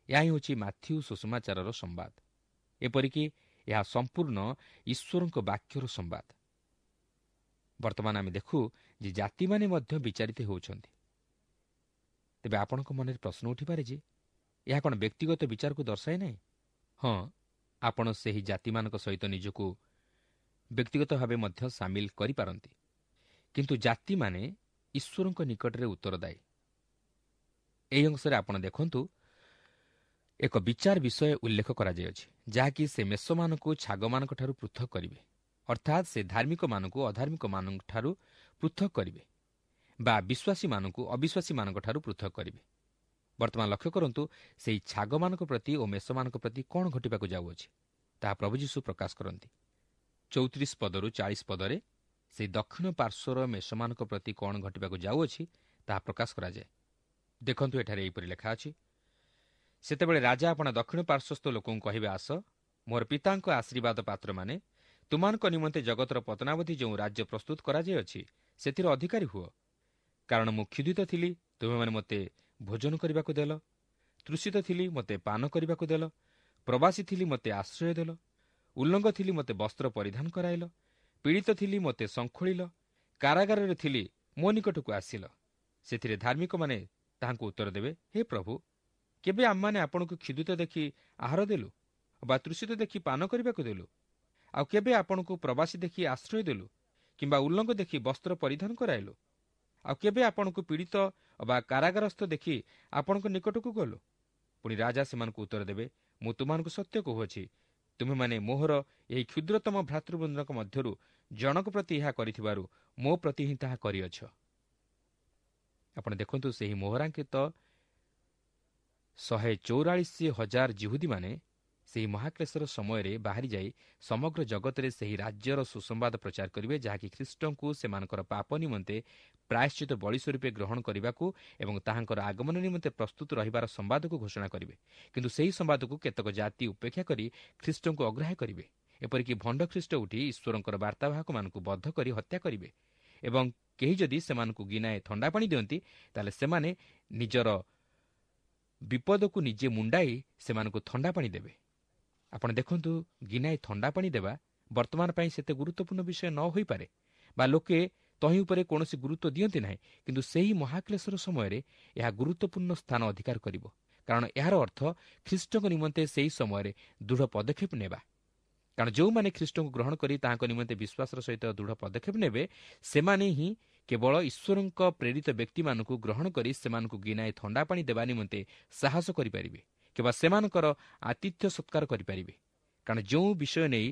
ଏହା ହିଁ ହେଉଛି ମାଥ୍ୟୁ ସୁସମାଚାରର ସମ୍ବାଦ। ଏପରିକି ଏହା ସମ୍ପୂର୍ଣ୍ଣ ଈଶ୍ୱରଙ୍କ ବାକ୍ୟର ସମ୍ବାଦ। ବର୍ତ୍ତମାନ ଆମେ ଦେଖୁ ଯେ ଜାତିମାନେ ମଧ୍ୟ ବିଚାରିତ ହେଉଛନ୍ତି। ତେବେ ଆପଣଙ୍କ ମନରେ ପ୍ରଶ୍ନ ଉଠିପାରେ ଯେ ଏହା କ'ଣ ବ୍ୟକ୍ତିଗତ ବିଚାରକୁ ଦର୍ଶାଏ ନାହିଁ? ହଁ, ଆପଣ ସେହି ଜାତିମାନଙ୍କ ସହିତ ନିଜକୁ ବ୍ୟକ୍ତିଗତ ଭାବେ ମଧ୍ୟ ସାମିଲ କରିପାରନ୍ତି, କିନ୍ତୁ ଜାତିମାନେ ଈଶ୍ୱରଙ୍କ ନିକଟରେ ଉତ୍ତରଦାୟୀ। ଏହି ଅଂଶରେ ଆପଣ ଦେଖନ୍ତୁ ଏକ ବିଚାର ବିଷୟ ଉଲ୍ଲେଖ କରାଯାଇଅଛି, ଯାହାକି ସେ ମେଷମାନଙ୍କୁ ଛାଗମାନଙ୍କଠାରୁ ପୃଥକ କରିବେ, ଅର୍ଥାତ୍ ସେ ଧାର୍ମିକମାନଙ୍କୁ ଅଧାର୍ମିକମାନଙ୍କଠାରୁ ପୃଥକ କରିବେ ବା ବିଶ୍ୱାସୀମାନଙ୍କୁ ଅବିଶ୍ୱାସୀମାନଙ୍କଠାରୁ ପୃଥକ କରିବେ। ବର୍ତ୍ତମାନ ଲକ୍ଷ୍ୟ କରନ୍ତୁ ସେହି ଛାଗମାନଙ୍କ ପ୍ରତି ଓ ମେଷମାନଙ୍କ ପ୍ରତି କ'ଣ ଘଟିବାକୁ ଯାଉଅଛି ତାହା ପ୍ରଭୁ ଯୀଶୁ ପ୍ରକାଶ କରନ୍ତି। 34 ପଦରୁ 40 ପଦରେ ସେହି ଦକ୍ଷିଣ ପାର୍ଶ୍ୱର ମେଷମାନଙ୍କ ପ୍ରତି କ'ଣ ଘଟିବାକୁ ଯାଉଅଛି ତାହା ପ୍ରକାଶ କରାଯାଏ। ଦେଖନ୍ତୁ ଏଠାରେ ଏହିପରି ଲେଖା ଅଛି, ସେତେବେଳେ ରାଜା ଆପଣା ଦକ୍ଷିଣ ପାର୍ଶ୍ୱସ୍ଥ ଲୋକଙ୍କୁ କହିବେ, ଆସ ମୋର ପିତାଙ୍କ ଆଶୀର୍ବାଦ ପାତ୍ରମାନେ, ତୁମମାନଙ୍କ ନିମନ୍ତେ ଜଗତର ପତନାବଧି ଯେଉଁ ରାଜ୍ୟ ପ୍ରସ୍ତୁତ କରାଯାଇଅଛି ସେଥିର ଅଧିକାରୀ ହୁଅ। କାରଣ ମୁଁ କ୍ଷୁଧିତ ଥିଲି, ତୁମେମାନେ ମୋତେ ଭୋଜନ କରିବାକୁ ଦେଲ, ତୃଷିତ ଥିଲି, ମୋତେ ପାନ କରିବାକୁ ଦେଲ, ପ୍ରବାସୀ ଥିଲି, ମୋତେ ଆଶ୍ରୟ ଦେଲ, ଉଲ୍ଲଙ୍ଗ ଥିଲି, ମୋତେ ବସ୍ତ୍ର ପରିଧାନ କରାଇଲ, ପୀଡ଼ିତ ଥିଲି, ମୋତେ ଶଙ୍ଖୋଳିଲ, କାରାଗାରରେ ଥିଲି, ମୋ ନିକଟକୁ ଆସିଲ। ସେଥିରେ ଧାର୍ମିକମାନେ ତାହାଙ୍କୁ ଉତ୍ତର ଦେବେ, ହେ ପ୍ରଭୁ, କେବେ ଆମମାନେ ଆପଣଙ୍କୁ କ୍ଷୁଧିତ ଦେଖି ଆହାର ଦେଲୁ ବା ତୃଷିତ ଦେଖି ପାନ କରିବାକୁ ଦେଲୁ? ଆଉ କେବେ ଆପଣଙ୍କୁ ପ୍ରବାସୀ ଦେଖି ଆଶ୍ରୟ ଦେଲୁ କିମ୍ବା ଉଲ୍ଲଙ୍ଗ ଦେଖି ବସ୍ତ୍ର ପରିଧାନ କରାଇଲୁ? ଆଉ କେବେ ଆପଣଙ୍କୁ ପୀଡ଼ିତ ବା କାରାଗାରସ୍ଥ ଦେଖି ଆପଣଙ୍କ ନିକଟକୁ ଗଲୁ? ପୁଣି ରାଜା ସେମାନଙ୍କୁ ଉତ୍ତର ଦେବେ, ମୁଁ ତୁମମାନଙ୍କୁ ସତ୍ୟ କହୁଅଛି, ତୁମେମାନେ ମୋହର ଏହି କ୍ଷୁଦ୍ରତମ ଭ୍ରାତୃବୃନ୍ଦଙ୍କ ମଧ୍ୟରୁ ଜଣକ ପ୍ରତି ଏହା କରିଥିବାରୁ ମୋ ପ୍ରତି ହିଁ ତାହା କରିଅଛ। ଆପଣ ଦେଖନ୍ତୁ ସେହି ମୋହରାଙ୍କିତ 144,000 ଜିହୁଦୀମାନେ ସେହି ମହାକ୍ଲେଶର ସମୟରେ ବାହାରି ଯାଇ ସମଗ୍ର ଜଗତରେ ସେହି ରାଜ୍ୟର ସୁସମ୍ବାଦ ପ୍ରଚାର କରିବେ, ଯାହାକି ଖ୍ରୀଷ୍ଟଙ୍କୁ ସେମାନଙ୍କର ପାପ ନିମନ୍ତେ ପ୍ରାୟଶ୍ଚିତ ବଳି ସ୍ୱରୂପେ ଗ୍ରହଣ କରିବାକୁ ଏବଂ ତାହାଙ୍କର ଆଗମନ ନିମନ୍ତେ ପ୍ରସ୍ତୁତ ରହିବାର ସମ୍ବାଦକୁ ଘୋଷଣା କରିବେ। କିନ୍ତୁ ସେହି ସମ୍ବାଦକୁ କେତେକ ଜାତି ଉପେକ୍ଷା କରି ଖ୍ରୀଷ୍ଟଙ୍କୁ ଅଗ୍ରାହ୍ୟ କରିବେ। ଏପରିକି ଭଣ୍ଡ ଖ୍ରୀଷ୍ଟ ଉଠି ଈଶ୍ୱରଙ୍କର ବାର୍ତ୍ତାବାହକମାନଙ୍କୁ ବଦ୍ଧ କରି ହତ୍ୟା କରିବେ ଏବଂ କେହି ଯଦି ସେମାନଙ୍କୁ ଗିନାଏ ଥଣ୍ଡା ପାଣି ଦିଅନ୍ତି, ତାହେଲେ ସେମାନେ ନିଜର ବିପଦକୁ ନିଜେ ମୁଣ୍ଡାଇ ସେମାନଙ୍କୁ ଥଣ୍ଡା ପାଣି ଦେବେ। ଆପଣ ଦେଖନ୍ତୁ, ଗିନାଏ ଥଣ୍ଡା ପାଣି ଦେବା ବର୍ତ୍ତମାନ ପାଇଁ ସେତେ ଗୁରୁତ୍ୱପୂର୍ଣ୍ଣ ବିଷୟ ନ ହୋଇପାରେ ବା ଲୋକେ ତହିଁ ଉପରେ କୌଣସି ଗୁରୁତ୍ୱ ଦିଅନ୍ତି ନାହିଁ, କିନ୍ତୁ ସେହି ମହାକ୍ଲେଶର ସମୟରେ ଏହା ଗୁରୁତ୍ୱପୂର୍ଣ୍ଣ ସ୍ଥାନ ଅଧିକାର କରିବ। କାରଣ ଏହାର ଅର୍ଥ ଖ୍ରୀଷ୍ଟଙ୍କ ନିମନ୍ତେ ସେହି ସମୟରେ ଦୃଢ଼ ପଦକ୍ଷେପ ନେବା। କାରଣ ଯେଉଁମାନେ ଖ୍ରୀଷ୍ଟଙ୍କୁ ଗ୍ରହଣ କରି ତାହାଙ୍କ ନିମନ୍ତେ ବିଶ୍ୱାସର ସହିତ ଦୃଢ଼ ପଦକ୍ଷେପ ନେବେ, ସେମାନେ ହିଁ କେବଳ ଈଶ୍ୱରଙ୍କ ପ୍ରେରିତ ବ୍ୟକ୍ତିମାନଙ୍କୁ ଗ୍ରହଣ କରି ସେମାନଙ୍କୁ ଗିନାଏ ଥଣ୍ଡା ପାଣି ଦେବା ନିମନ୍ତେ ସାହସ କରିପାରିବେ କିମ୍ବା ସେମାନଙ୍କର ଆତିଥ୍ୟ ସତ୍କାର କରିପାରିବେ। କାରଣ ଯେଉଁ ବିଷୟ ନେଇ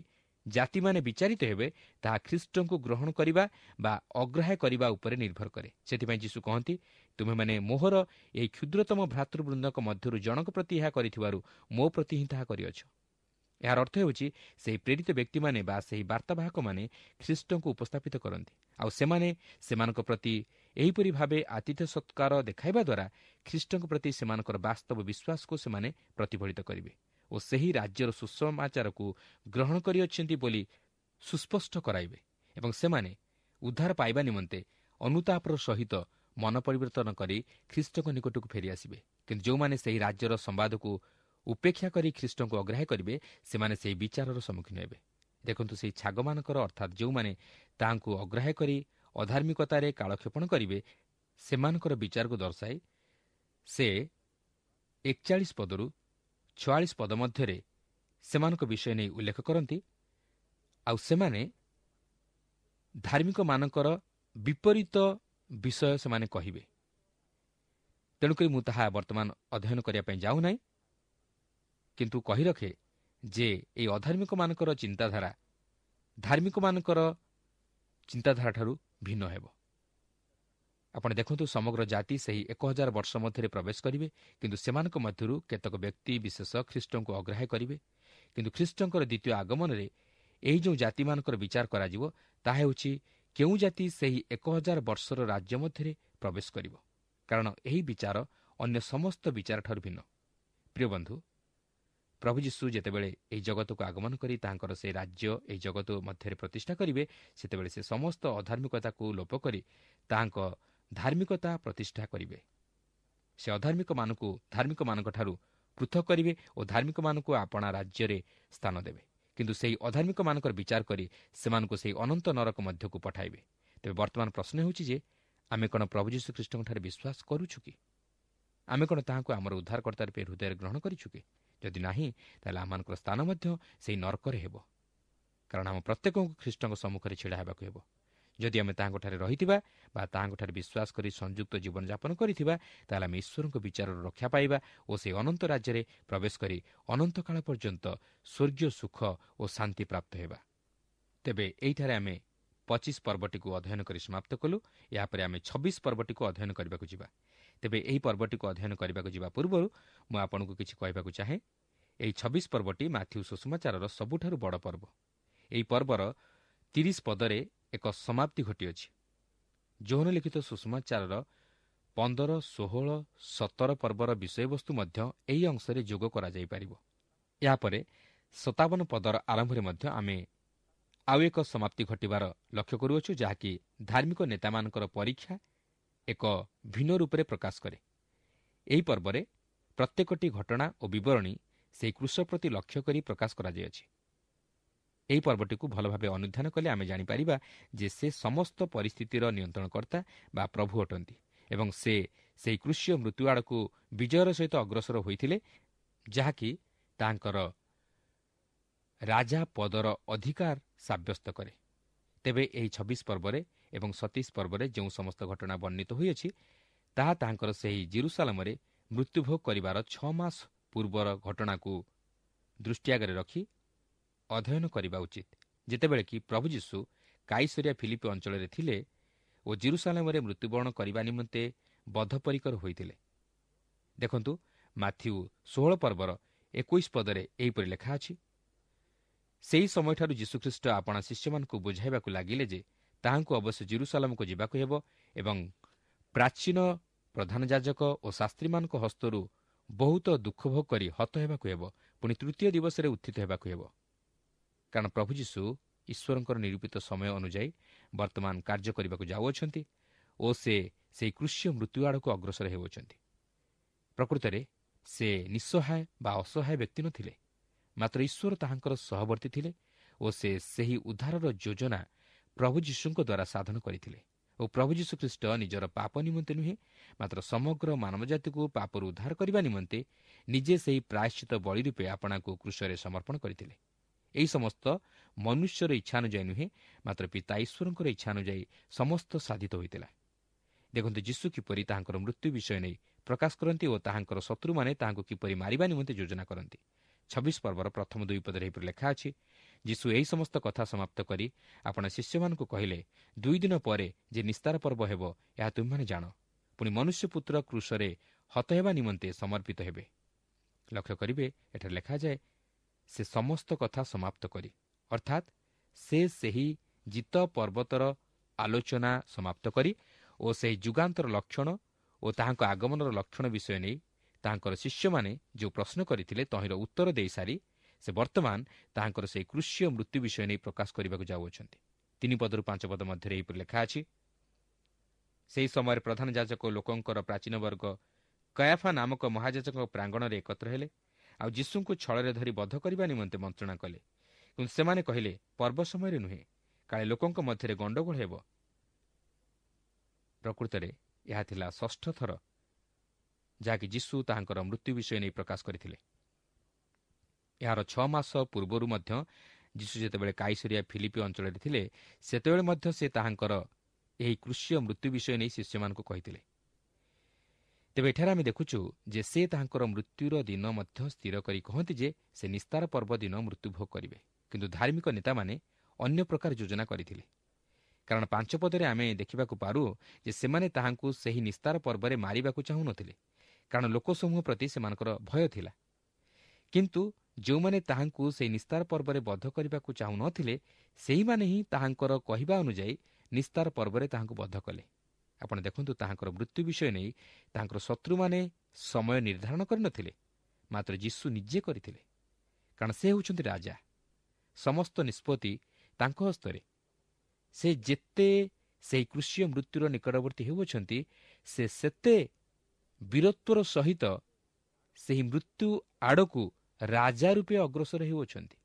ଜାତିମାନେ ବିଚାରିତ ହେବେ ତାହା ଖ୍ରୀଷ୍ଟଙ୍କୁ ଗ୍ରହଣ କରିବା ବା ଅଗ୍ରାହ୍ୟ କରିବା ଉପରେ ନିର୍ଭର କରେ। ସେଥିପାଇଁ ଯୀଶୁ କହନ୍ତି, ତୁମେମାନେ ମୋହର ଏହି କ୍ଷୁଦ୍ରତମ ଭ୍ରାତୃବୃନ୍ଦଙ୍କ ମଧ୍ୟରୁ ଜଣଙ୍କ ପ୍ରତି ଏହା କରିଥିବାରୁ ମୋ ପ୍ରତି ହିଁ ତାହା କରିଅଛ। ଏହାର ଅର୍ଥ ହେଉଛି ସେହି ପ୍ରେରିତ ବ୍ୟକ୍ତିମାନେ ବା ସେହି ବାର୍ତ୍ତାବାହକମାନେ ଖ୍ରୀଷ୍ଟଙ୍କୁ ଉପସ୍ଥାପିତ କରନ୍ତି, ଆଉ ସେମାନେ ସେମାନଙ୍କ ପ୍ରତି ଏହିପରି ଭାବେ ଆତିଥ୍ୟ ସତ୍କାର ଦେଖାଇବା ଦ୍ୱାରା ଖ୍ରୀଷ୍ଟଙ୍କ ପ୍ରତି ସେମାନଙ୍କର ବାସ୍ତବ ବିଶ୍ୱାସକୁ ସେମାନେ ପ୍ରତିଫଳିତ କରିବେ ଓ ସେହି ରାଜ୍ୟର ସୁସମାଚାରକୁ ଗ୍ରହଣ କରିଅଛନ୍ତି ବୋଲି ସୁସ୍ପଷ୍ଟ କରାଇବେ ଏବଂ ସେମାନେ ଉଦ୍ଧାର ପାଇବା ନିମନ୍ତେ ଅନୁତାପର ସହିତ ମନ ପରିବର୍ତ୍ତନ କରି ଖ୍ରୀଷ୍ଟଙ୍କ ନିକଟକୁ ଫେରିଆସିବେ। କିନ୍ତୁ ଯେଉଁମାନେ ସେହି ରାଜ୍ୟର ସମ୍ବାଦକୁ ଉପେକ୍ଷା କରି ଖ୍ରୀଷ୍ଟଙ୍କୁ ଅଗ୍ରାହ୍ୟ କରିବେ ସେମାନେ ସେହି ବିଚାରର ସମ୍ମୁଖୀନ ହେବେ। ଦେଖନ୍ତୁ, ସେହି ଛାଗମାନଙ୍କର ଅର୍ଥାତ୍ ଯେଉଁମାନେ ତାହାଙ୍କୁ ଅଗ୍ରାହ୍ୟ କରି ଅଧାର୍ମିକତାରେ କାଳକ୍ଷେପଣ କରିବେ ସେମାନଙ୍କର ବିଚାରକୁ ଦର୍ଶାଇ ସେ 41 ପଦରୁ 46 ପଦ ମଧ୍ୟରେ ସେମାନଙ୍କ ବିଷୟ ନେଇ ଉଲ୍ଲେଖ କରନ୍ତି। ଆଉ ସେମାନେ ଧାର୍ମିକମାନଙ୍କର ବିପରୀତ ବିଷୟ ସେମାନେ କହିବେ। ତେଣୁକରି ମୁଁ ତାହା ବର୍ତ୍ତମାନ ଅଧ୍ୟୟନ କରିବା ପାଇଁ ଯାଉନାହିଁ, କିନ୍ତୁ କହି ରଖେ ଯେ ଏହି ଅଧାର୍ମିକମାନଙ୍କର ଚିନ୍ତାଧାରା ଧାର୍ମିକମାନଙ୍କର ଚିନ୍ତାଧାରାଠାରୁ ଭିନ୍ନ ହେବ। ଆପଣ ଦେଖନ୍ତୁ, ସମଗ୍ର ଜାତି ସେହି 1000 ବର୍ଷ ମଧ୍ୟରେ ପ୍ରବେଶ କରିବେ, କିନ୍ତୁ ସେମାନଙ୍କ ମଧ୍ୟରୁ କେତେକ ବ୍ୟକ୍ତି ବିଶେଷ ଖ୍ରୀଷ୍ଟଙ୍କୁ ଅଗ୍ରାହ୍ୟ କରିବେ। କିନ୍ତୁ ଖ୍ରୀଷ୍ଟଙ୍କର ଦ୍ୱିତୀୟ ଆଗମନରେ ଏହି ଯେଉଁ ଜାତିମାନଙ୍କର ବିଚାର କରାଯିବ ତାହା ହେଉଛି କେଉଁ ଜାତି ସେହି 1000 ବର୍ଷର ରାଜ୍ୟ ମଧ୍ୟରେ ପ୍ରବେଶ କରିବ, କାରଣ ଏହି ବିଚାର ଅନ୍ୟ ସମସ୍ତ ବିଚାରଠାରୁ ଭିନ୍ନ। ପ୍ରିୟ ବନ୍ଧୁ, ପ୍ରଭୁ ଯୀଶୁ ଯେତେବେଳେ ଏହି ଜଗତକୁ ଆଗମନ କରି ତାଙ୍କର ସେହି ରାଜ୍ୟ ଏହି ଜଗତ ମଧ୍ୟରେ ପ୍ରତିଷ୍ଠା କରିବେ, ସେତେବେଳେ ସେ ସମସ୍ତ ଅଧାର୍ମିକତାକୁ ଲୋପ କରି ତାହାଙ୍କ ଧାର୍ମିକତା ପ୍ରତିଷ୍ଠା କରିବେ। ସେ ଅଧାର୍ମିକମାନଙ୍କୁ ଧାର୍ମିକମାନଙ୍କଠାରୁ ପୃଥକ କରିବେ ଓ ଧାର୍ମିକମାନଙ୍କୁ ଆପଣା ରାଜ୍ୟରେ ସ୍ଥାନ ଦେବେ। କିନ୍ତୁ ସେହି ଅଧାର୍ମିକମାନଙ୍କର ବିଚାର କରି ସେମାନଙ୍କୁ ସେହି ଅନନ୍ତ ନରକ ମଧ୍ୟକୁ ପଠାଇବେ। ତେବେ ବର୍ତ୍ତମାନ ପ୍ରଶ୍ନ ହେଉଛି ଯେ ଆମେ କ'ଣ ପ୍ରଭୁ ଯୀଶୁ ଖ୍ରୀଷ୍ଟଙ୍କଠାରେ ବିଶ୍ୱାସ କରୁଛୁ କି? ଆମେ କ'ଣ ତାହାଙ୍କୁ ଆମର ଉଦ୍ଧାରକର୍ତ୍ତା ରୂପେ ହୃଦୟରେ ଗ୍ରହଣ କରିଛୁ କି? ଯଦି ନାହିଁ, ତାହେଲେ ଆମମାନଙ୍କର ସ୍ଥାନ ମଧ୍ୟ ସେହି ନରକରେ ହେବ, କାରଣ ଆମ ପ୍ରତ୍ୟେକଙ୍କୁ ଖ୍ରୀଷ୍ଟଙ୍କ ସମ୍ମୁଖରେ ଛିଡ଼ା ହେବାକୁ ହେବ। ଯଦି ଆମେ ତାହାଙ୍କଠାରେ ରହିଥିବା ବା ତାହାଙ୍କଠାରେ ବିଶ୍ୱାସ କରି ସଂଯୁକ୍ତ ଜୀବନଯାପନ କରିଥିବା, ତାହେଲେ ଆମେ ଈଶ୍ୱରଙ୍କ ବିଚାରରୁ ରକ୍ଷା ପାଇବା ଓ ସେହି ଅନନ୍ତ ରାଜ୍ୟରେ ପ୍ରବେଶ କରି ଅନନ୍ତକାଳ ପର୍ଯ୍ୟନ୍ତ ସ୍ୱର୍ଗୀୟ ସୁଖ ଓ ଶାନ୍ତି ପ୍ରାପ୍ତ ହେବା। ତେବେ ଏଇଠାରେ ଆମେ 25 ପର୍ବଟିକୁ ଅଧ୍ୟୟନ କରି ସମାପ୍ତ କଲୁ। ଏହାପରେ ଆମେ 26 ପର୍ବଟିକୁ ଅଧ୍ୟୟନ କରିବାକୁ ଯିବା। ତେବେ ଏହି ପର୍ବଟିକୁ ଅଧ୍ୟୟନ କରିବାକୁ ଯିବା ପୂର୍ବରୁ ମୁଁ ଆପଣଙ୍କୁ କିଛି କହିବାକୁ ଚାହେଁ। ଏହି 26 ପର୍ବଟି ମାଥ୍ୟୁ ସୁସମାଚାରର ସବୁଠାରୁ ବଡ଼ ପର୍ବ। ଏହି ପର୍ବର 30 ପଦରେ ଏକ ସମାପ୍ତି ଘଟିଅଛି। ଯୋହନ ଲିଖିତ ସୁସମାଚାରର 15, 16, 17 ପର୍ବର ବିଷୟବସ୍ତୁ ମଧ୍ୟ ଏହି ଅଂଶରେ ଯୋଗ କରାଯାଇପାରିବ। ଏହାପରେ 57 ପଦର ଆରମ୍ଭରେ ମଧ୍ୟ ଆମେ ଆଉ ଏକ ସମାପ୍ତି ଘଟିବାର ଲକ୍ଷ୍ୟ କରୁଅଛୁ, ଯାହାକି ଧାର୍ମିକ ନେତାମାନଙ୍କର ପରୀକ୍ଷା ଏକ ଭିନ୍ନ ରୂପରେ ପ୍ରକାଶ କରେ। ଏହି ପର୍ବରେ ପ୍ରତ୍ୟେକଟି ଘଟଣା ଓ ବିବରଣୀ ସେହି କୃଷ ପ୍ରତି ଲକ୍ଷ୍ୟ କରି ପ୍ରକାଶ କରାଯାଇଅଛି। ଏହି ପର୍ବଟିକୁ ଭଲ ଭାବେ ଅନୁଧ୍ୟାନ କଲେ ଆମେ ଜାଣିପାରିବା ଯେ ସେ ସମସ୍ତ ପରିସ୍ଥିତିର ନିୟନ୍ତ୍ରଣକର୍ତ୍ତା ବା ପ୍ରଭୁ ଅଟନ୍ତି ଏବଂ ସେ ସେହି କୃଷୀୟ ମୃତ୍ୟୁ ଆଡ଼କୁ ବିଜୟର ସହିତ ଅଗ୍ରସର ହୋଇଥିଲେ, ଯାହାକି ତାଙ୍କର ରାଜା ପଦର ଅଧିକାର ସାବ୍ୟସ୍ତ କରେ। ତେବେ ଏହି 26 ପର୍ବରେ ଏବଂ 27 ପର୍ବରେ ଯେଉଁ ସମସ୍ତ ଘଟଣା ବର୍ଣ୍ଣିତ ହୋଇଅଛି, ତାହା ତାହାଙ୍କର ସେହି ଜେରୁସାଲାମରେ ମୃତ୍ୟୁଭୋଗ କରିବାର 6 ମାସ ପୂର୍ବର ଘଟଣାକୁ ଦୃଷ୍ଟି ଆଗରେ ରଖି ଅଧ୍ୟୟନ କରିବା ଉଚିତ, ଯେତେବେଳେ କି ପ୍ରଭୁ ଯୀଶୁ କାଇସରିଆ ଫିଲିପି ଅଞ୍ଚଳରେ ଥିଲେ ଓ ଜେରୁସାଲାମରେ ମୃତ୍ୟୁବରଣ କରିବା ନିମନ୍ତେ ବଦ୍ଧପରିକର ହୋଇଥିଲେ। ଦେଖନ୍ତୁ, ମାଥ୍ୟୁ 16 ପର୍ବର 21 ପଦରେ ଏହିପରି ଲେଖା ଅଛି, ସେହି ସମୟଠାରୁ ଯୀଶୁଖ୍ରୀଷ୍ଟ ଆପଣା ଶିଷ୍ୟମାନଙ୍କୁ ବୁଝାଇବାକୁ ଲାଗିଲେ ଯେ ତାହାଙ୍କୁ ଅବଶ୍ୟ ଜେରୁସାଲାମକୁ ଯିବାକୁ ହେବ ଏବଂ ପ୍ରାଚୀନ ପ୍ରଧାନ ଯାଜକ ଓ ଶାସ୍ତ୍ରୀମାନଙ୍କ ହସ୍ତରୁ ବହୁତ ଦୁଃଖ ଭୋଗ କରି ହତ ହେବାକୁ ହେବ, ପୁଣି ତୃତୀୟ ଦିବସରେ ଉତ୍ଥିତ ହେବାକୁ ହେବ। କାରଣ ପ୍ରଭୁ ଯୀଶୁ ଈଶ୍ୱରଙ୍କର ନିରୂପିତ ସମୟ ଅନୁଯାୟୀ ବର୍ତ୍ତମାନ କାର୍ଯ୍ୟ କରିବାକୁ ଯାଉଅଛନ୍ତି ଓ ସେ ସେହି କୃଷ୍ୟ ମୃତ୍ୟୁ ଆଡ଼କୁ ଅଗ୍ରସର ହେଉଅଛନ୍ତି। ପ୍ରକୃତରେ ସେ ନିଃସହାୟ ବା ଅସହାୟ ବ୍ୟକ୍ତି ନଥିଲେ, ମାତ୍ର ଈଶ୍ୱର ତାହାଙ୍କର ସହବର୍ତ୍ତୀ ଥିଲେ ଓ ସେ ସେହି ଉଦ୍ଧାରର ଯୋଜନା ପ୍ରଭୁ ଯୀଶୁଙ୍କ ଦ୍ୱାରା ସାଧନ କରିଥିଲେ ଓ ପ୍ରଭୁ ଯୀଶୁଖ୍ରୀଷ୍ଟ ନିଜର ପାପ ନିମନ୍ତେ ନୁହେଁ, ମାତ୍ର ସମଗ୍ର ମାନବଜାତିକୁ ପାପରୁ ଉଦ୍ଧାର କରିବା ନିମନ୍ତେ ନିଜେ ସେହି ପ୍ରାୟଶ୍ଚିତ ବଳି ରୂପେ ଆପଣାକୁ କୃଷରେ ସମର୍ପଣ କରିଥିଲେ। ଏହି ସମସ୍ତ ମନୁଷ୍ୟର ଇଚ୍ଛାନୁଯାୟୀ ନୁହେଁ, ମାତ୍ର ପିତା ଈଶ୍ୱରଙ୍କର ଇଚ୍ଛାନୁଯାୟୀ ସମସ୍ତ ସାଧିତ ହୋଇଥିଲା। ଦେଖନ୍ତୁ ଯୀଶୁ କିପରି ତାହାଙ୍କର ମୃତ୍ୟୁ ବିଷୟ ନେଇ ପ୍ରକାଶ କରନ୍ତି ଓ ତାହାଙ୍କର ଶତ୍ରୁମାନେ ତାହାଙ୍କୁ କିପରି ମାରିବା ନିମନ୍ତେ ଯୋଜନା କରନ୍ତି। 26 ପର୍ବର ପ୍ରଥମ 2 ପଦରେ ଏହିପରି ଲେଖା ଅଛି, ଯୀଶୁ ଏହି ସମସ୍ତ କଥା ସମାପ୍ତ କରି ଆପଣା ଶିଷ୍ୟମାନଙ୍କୁ କହିଲେ, 2 ଦିନ ପରେ ଯେ ନିସ୍ତାର ପର୍ବ ହେବ, ଏହା ତୁମ୍ଭେମାନେ ଜାଣ। ପୁଣି ମନୁଷ୍ୟପୁତ୍ର କ୍ରୁଶରେ ହତ ହେବା ନିମନ୍ତେ ସମର୍ପିତ ହେବେ। ଲକ୍ଷ୍ୟ କରିବେ, ଏଠାରେ ଲେଖାଯାଏ ସେ ସମସ୍ତ କଥା ସମାପ୍ତ କରି, ଅର୍ଥାତ୍ ସେ ସେହି ଜିତ ପର୍ବତର ଆଲୋଚନା ସମାପ୍ତ କରି ଓ ସେହି ଯୁଗାନ୍ତର ଲକ୍ଷଣ ଓ ତାହାଙ୍କ ଆଗମନର ଲକ୍ଷଣ ବିଷୟ ନେଇ ତାହାଙ୍କର ଶିଷ୍ୟମାନେ ଯେଉଁ ପ୍ରଶ୍ନ କରିଥିଲେ ତହିଁର ଉତ୍ତର ଦେଇସାରି ସେ ବର୍ତ୍ତମାନ ତାହାଙ୍କର ସେହି କୃଷୀୟ ମୃତ୍ୟୁ ବିଷୟ ନେଇ ପ୍ରକାଶ କରିବାକୁ ଯାଉଅଛନ୍ତି। 3 ପଦରୁ 5 ପଦ ମଧ୍ୟରେ ଏହିପରି ଲେଖା ଅଛି, ସେହି ସମୟରେ ପ୍ରଧାନ ଯାଜକ ଲୋକଙ୍କର ପ୍ରାଚୀନ ବର୍ଗ କୟାଫା ନାମକ ମହାଯାଜକଙ୍କ ପ୍ରାଙ୍ଗଣରେ ଏକତ୍ର ହେଲେ, ଆଉ ଯୀଶୁଙ୍କୁ ଛଳରେ ଧରି ବଧ କରିବା ନିମନ୍ତେ ମନ୍ତ୍ରଣା କଲେ। କିନ୍ତୁ ସେମାନେ କହିଲେ, ପର୍ବ ସମୟରେ ନୁହେଁ, କାଳେ ଲୋକଙ୍କ ମଧ୍ୟରେ ଗଣ୍ଡଗୋଳ ହେବ। ପ୍ରକୃତରେ ଏହା ଥିଲା 6ଠ ଥର ଯାହାକି ଯୀଶୁ ତାହାଙ୍କର ମୃତ୍ୟୁ ବିଷୟ ନେଇ ପ୍ରକାଶ କରିଥିଲେ। ଏହାର 6 ମାସ ପୂର୍ବରୁ ମଧ୍ୟ ଯୀଶୁ ଯେତେବେଳେ କାଇସରିଆ ଫିଲିପି ଅଞ୍ଚଳରେ ଥିଲେ, ସେତେବେଳେ ମଧ୍ୟ ସେ ତାହାଙ୍କର ଏହି କୃଷୀୟ ମୃତ୍ୟୁ ବିଷୟ ନେଇ ଶିଷ୍ୟମାନଙ୍କୁ କହିଥିଲେ। ତେବେ ଏଠାରେ ଆମେ ଦେଖୁଛୁ ଯେ ସେ ତାହାଙ୍କର ମୃତ୍ୟୁର ଦିନ ମଧ୍ୟ ସ୍ଥିର କରି କହନ୍ତି ଯେ ସେ ନିସ୍ତାର ପର୍ବ ଦିନ ମୃତ୍ୟୁଭୋଗ କରିବେ। କିନ୍ତୁ ଧାର୍ମିକ ନେତାମାନେ ଅନ୍ୟ ପ୍ରକାର ଯୋଜନା କରିଥିଲେ, କାରଣ 5 ପଦରେ ଆମେ ଦେଖିବାକୁ ପାରୁ ଯେ ସେମାନେ ତାହାଙ୍କୁ ସେହି ନିସ୍ତାର ପର୍ବରେ ମାରିବାକୁ ଚାହୁଁନଥିଲେ, କାରଣ ଲୋକସମୂହ ପ୍ରତି ସେମାନଙ୍କର ଭୟ ଥିଲା। କିନ୍ତୁ ଯେଉଁମାନେ ତାହାଙ୍କୁ ସେହି ନିସ୍ତାର ପର୍ବରେ ବଧ କରିବାକୁ ଚାହୁଁନଥିଲେ, ସେହିମାନେ ହିଁ ତାହାଙ୍କର କହିବା ଅନୁଯାୟୀ ନିସ୍ତାର ପର୍ବରେ ତାହାଙ୍କୁ ବଧ କଲେ। ଆପଣ ଦେଖନ୍ତୁ, ତାହାଙ୍କର ମୃତ୍ୟୁ ବିଷୟ ନେଇ ତାହାଙ୍କର ଶତ୍ରୁମାନେ ସମୟ ନିର୍ଦ୍ଧାରଣ କରିନଥିଲେ, ମାତ୍ର ଯୀଶୁ ନିଜେ କରିଥିଲେ, କାରଣ ସେ ହେଉଛନ୍ତି ରାଜା। ସମସ୍ତ ନିଷ୍ପତ୍ତି ତାଙ୍କ ହସ୍ତରେ। ସେ ଯେତେ ସେହି କୃଷୀୟ ମୃତ୍ୟୁର ନିକଟବର୍ତ୍ତୀ ହେଉଅଛନ୍ତି, ସେ ସେତେ ବୀରତ୍ୱର ସହିତ ସେହି ମୃତ୍ୟୁ ଆଡ଼କୁ ରାଜା ରୂପେ ଅଗ୍ରସର ହେଉଅଛନ୍ତି।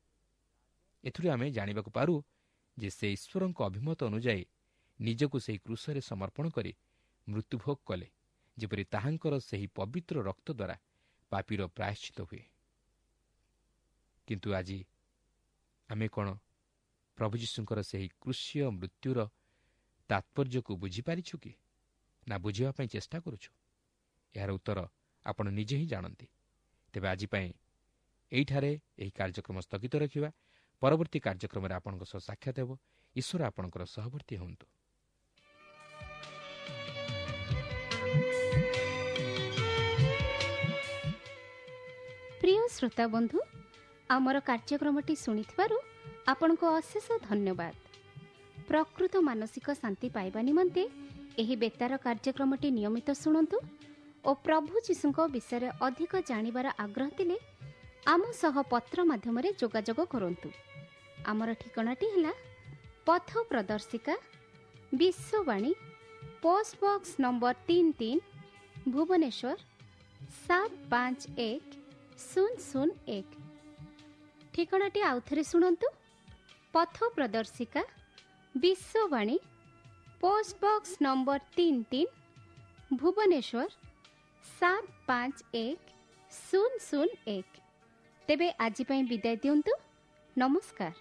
ଏଥିରୁ ଆମେ ଜାଣିବାକୁ ପାରୁ ଯେ ସେ ଈଶ୍ୱରଙ୍କ ଅଭିମତ ଅନୁଯାୟୀ ନିଜକୁ ସେହି କ୍ରୁଶରେ ସମର୍ପଣ କରି ମୃତ୍ୟୁଭୋଗ କଲେ, ଯେପରି ତାହାଙ୍କର ସେହି ପବିତ୍ର ରକ୍ତ ଦ୍ୱାରା ପାପୀର ପ୍ରାୟଶ୍ଚିତ ହୁଏ। କିନ୍ତୁ ଆଜି ଆମେ କ'ଣ ପ୍ରଭୁ ଯୀଶୁଙ୍କର ସେହି କୃଷୀୟ ମୃତ୍ୟୁର ତାତ୍ପର୍ଯ୍ୟକୁ ବୁଝିପାରିଛୁ କି ନା ବୁଝିବା ପାଇଁ ଚେଷ୍ଟା କରୁଛୁ? ଏହାର ଉତ୍ତର ଆପଣ ନିଜେ ହିଁ ଜାଣନ୍ତି। ତେବେ ଆଜି ପାଇଁ ଏଇଠାରେ ଏହି କାର୍ଯ୍ୟକ୍ରମ ସ୍ଥଗିତ ରଖିବା। ପରବର୍ତ୍ତୀ କାର୍ଯ୍ୟକ୍ରମରେ ଆପଣଙ୍କ ସହ ସାକ୍ଷାତ ହେବ। ଈଶ୍ୱର ଆପଣଙ୍କର ସହବର୍ତ୍ତୀ ହୁଅନ୍ତୁ। ପ୍ରିୟ ଶ୍ରୋତା ବନ୍ଧୁ, ଆମର କାର୍ଯ୍ୟକ୍ରମଟି ଶୁଣିଥିବାରୁ ଆପଣଙ୍କୁ ଅଶେଷ ଧନ୍ୟବାଦ। ପ୍ରକୃତ ମାନସିକ ଶାନ୍ତି ପାଇବା ନିମନ୍ତେ ଏହି ବେତାର କାର୍ଯ୍ୟକ୍ରମଟି ନିୟମିତ ଶୁଣନ୍ତୁ ଓ ପ୍ରଭୁ ଯୀଶୁଙ୍କ ବିଷୟରେ ଅଧିକ ଜାଣିବାର ଆଗ୍ରହ ଥିଲେ ଆମ ସହ ପତ୍ର ମାଧ୍ୟମରେ ଯୋଗାଯୋଗ କରନ୍ତୁ। ଆମର ଠିକଣାଟି ହେଲା ପଥ ପ୍ରଦର୍ଶିକା, Vishwavani, post box number 33, Bhubaneswar 751001। ଠିକଣାଟି ଆଉଥରେ ଶୁଣନ୍ତୁ, ପଥ ପ୍ରଦର୍ଶିକା, Vishwavani, post box number 33, Bhubaneswar 751001। ତେବେ ଆଜି ପାଇଁ ବିଦାୟ ଦିଅନ୍ତୁ। ନମସ୍କାର।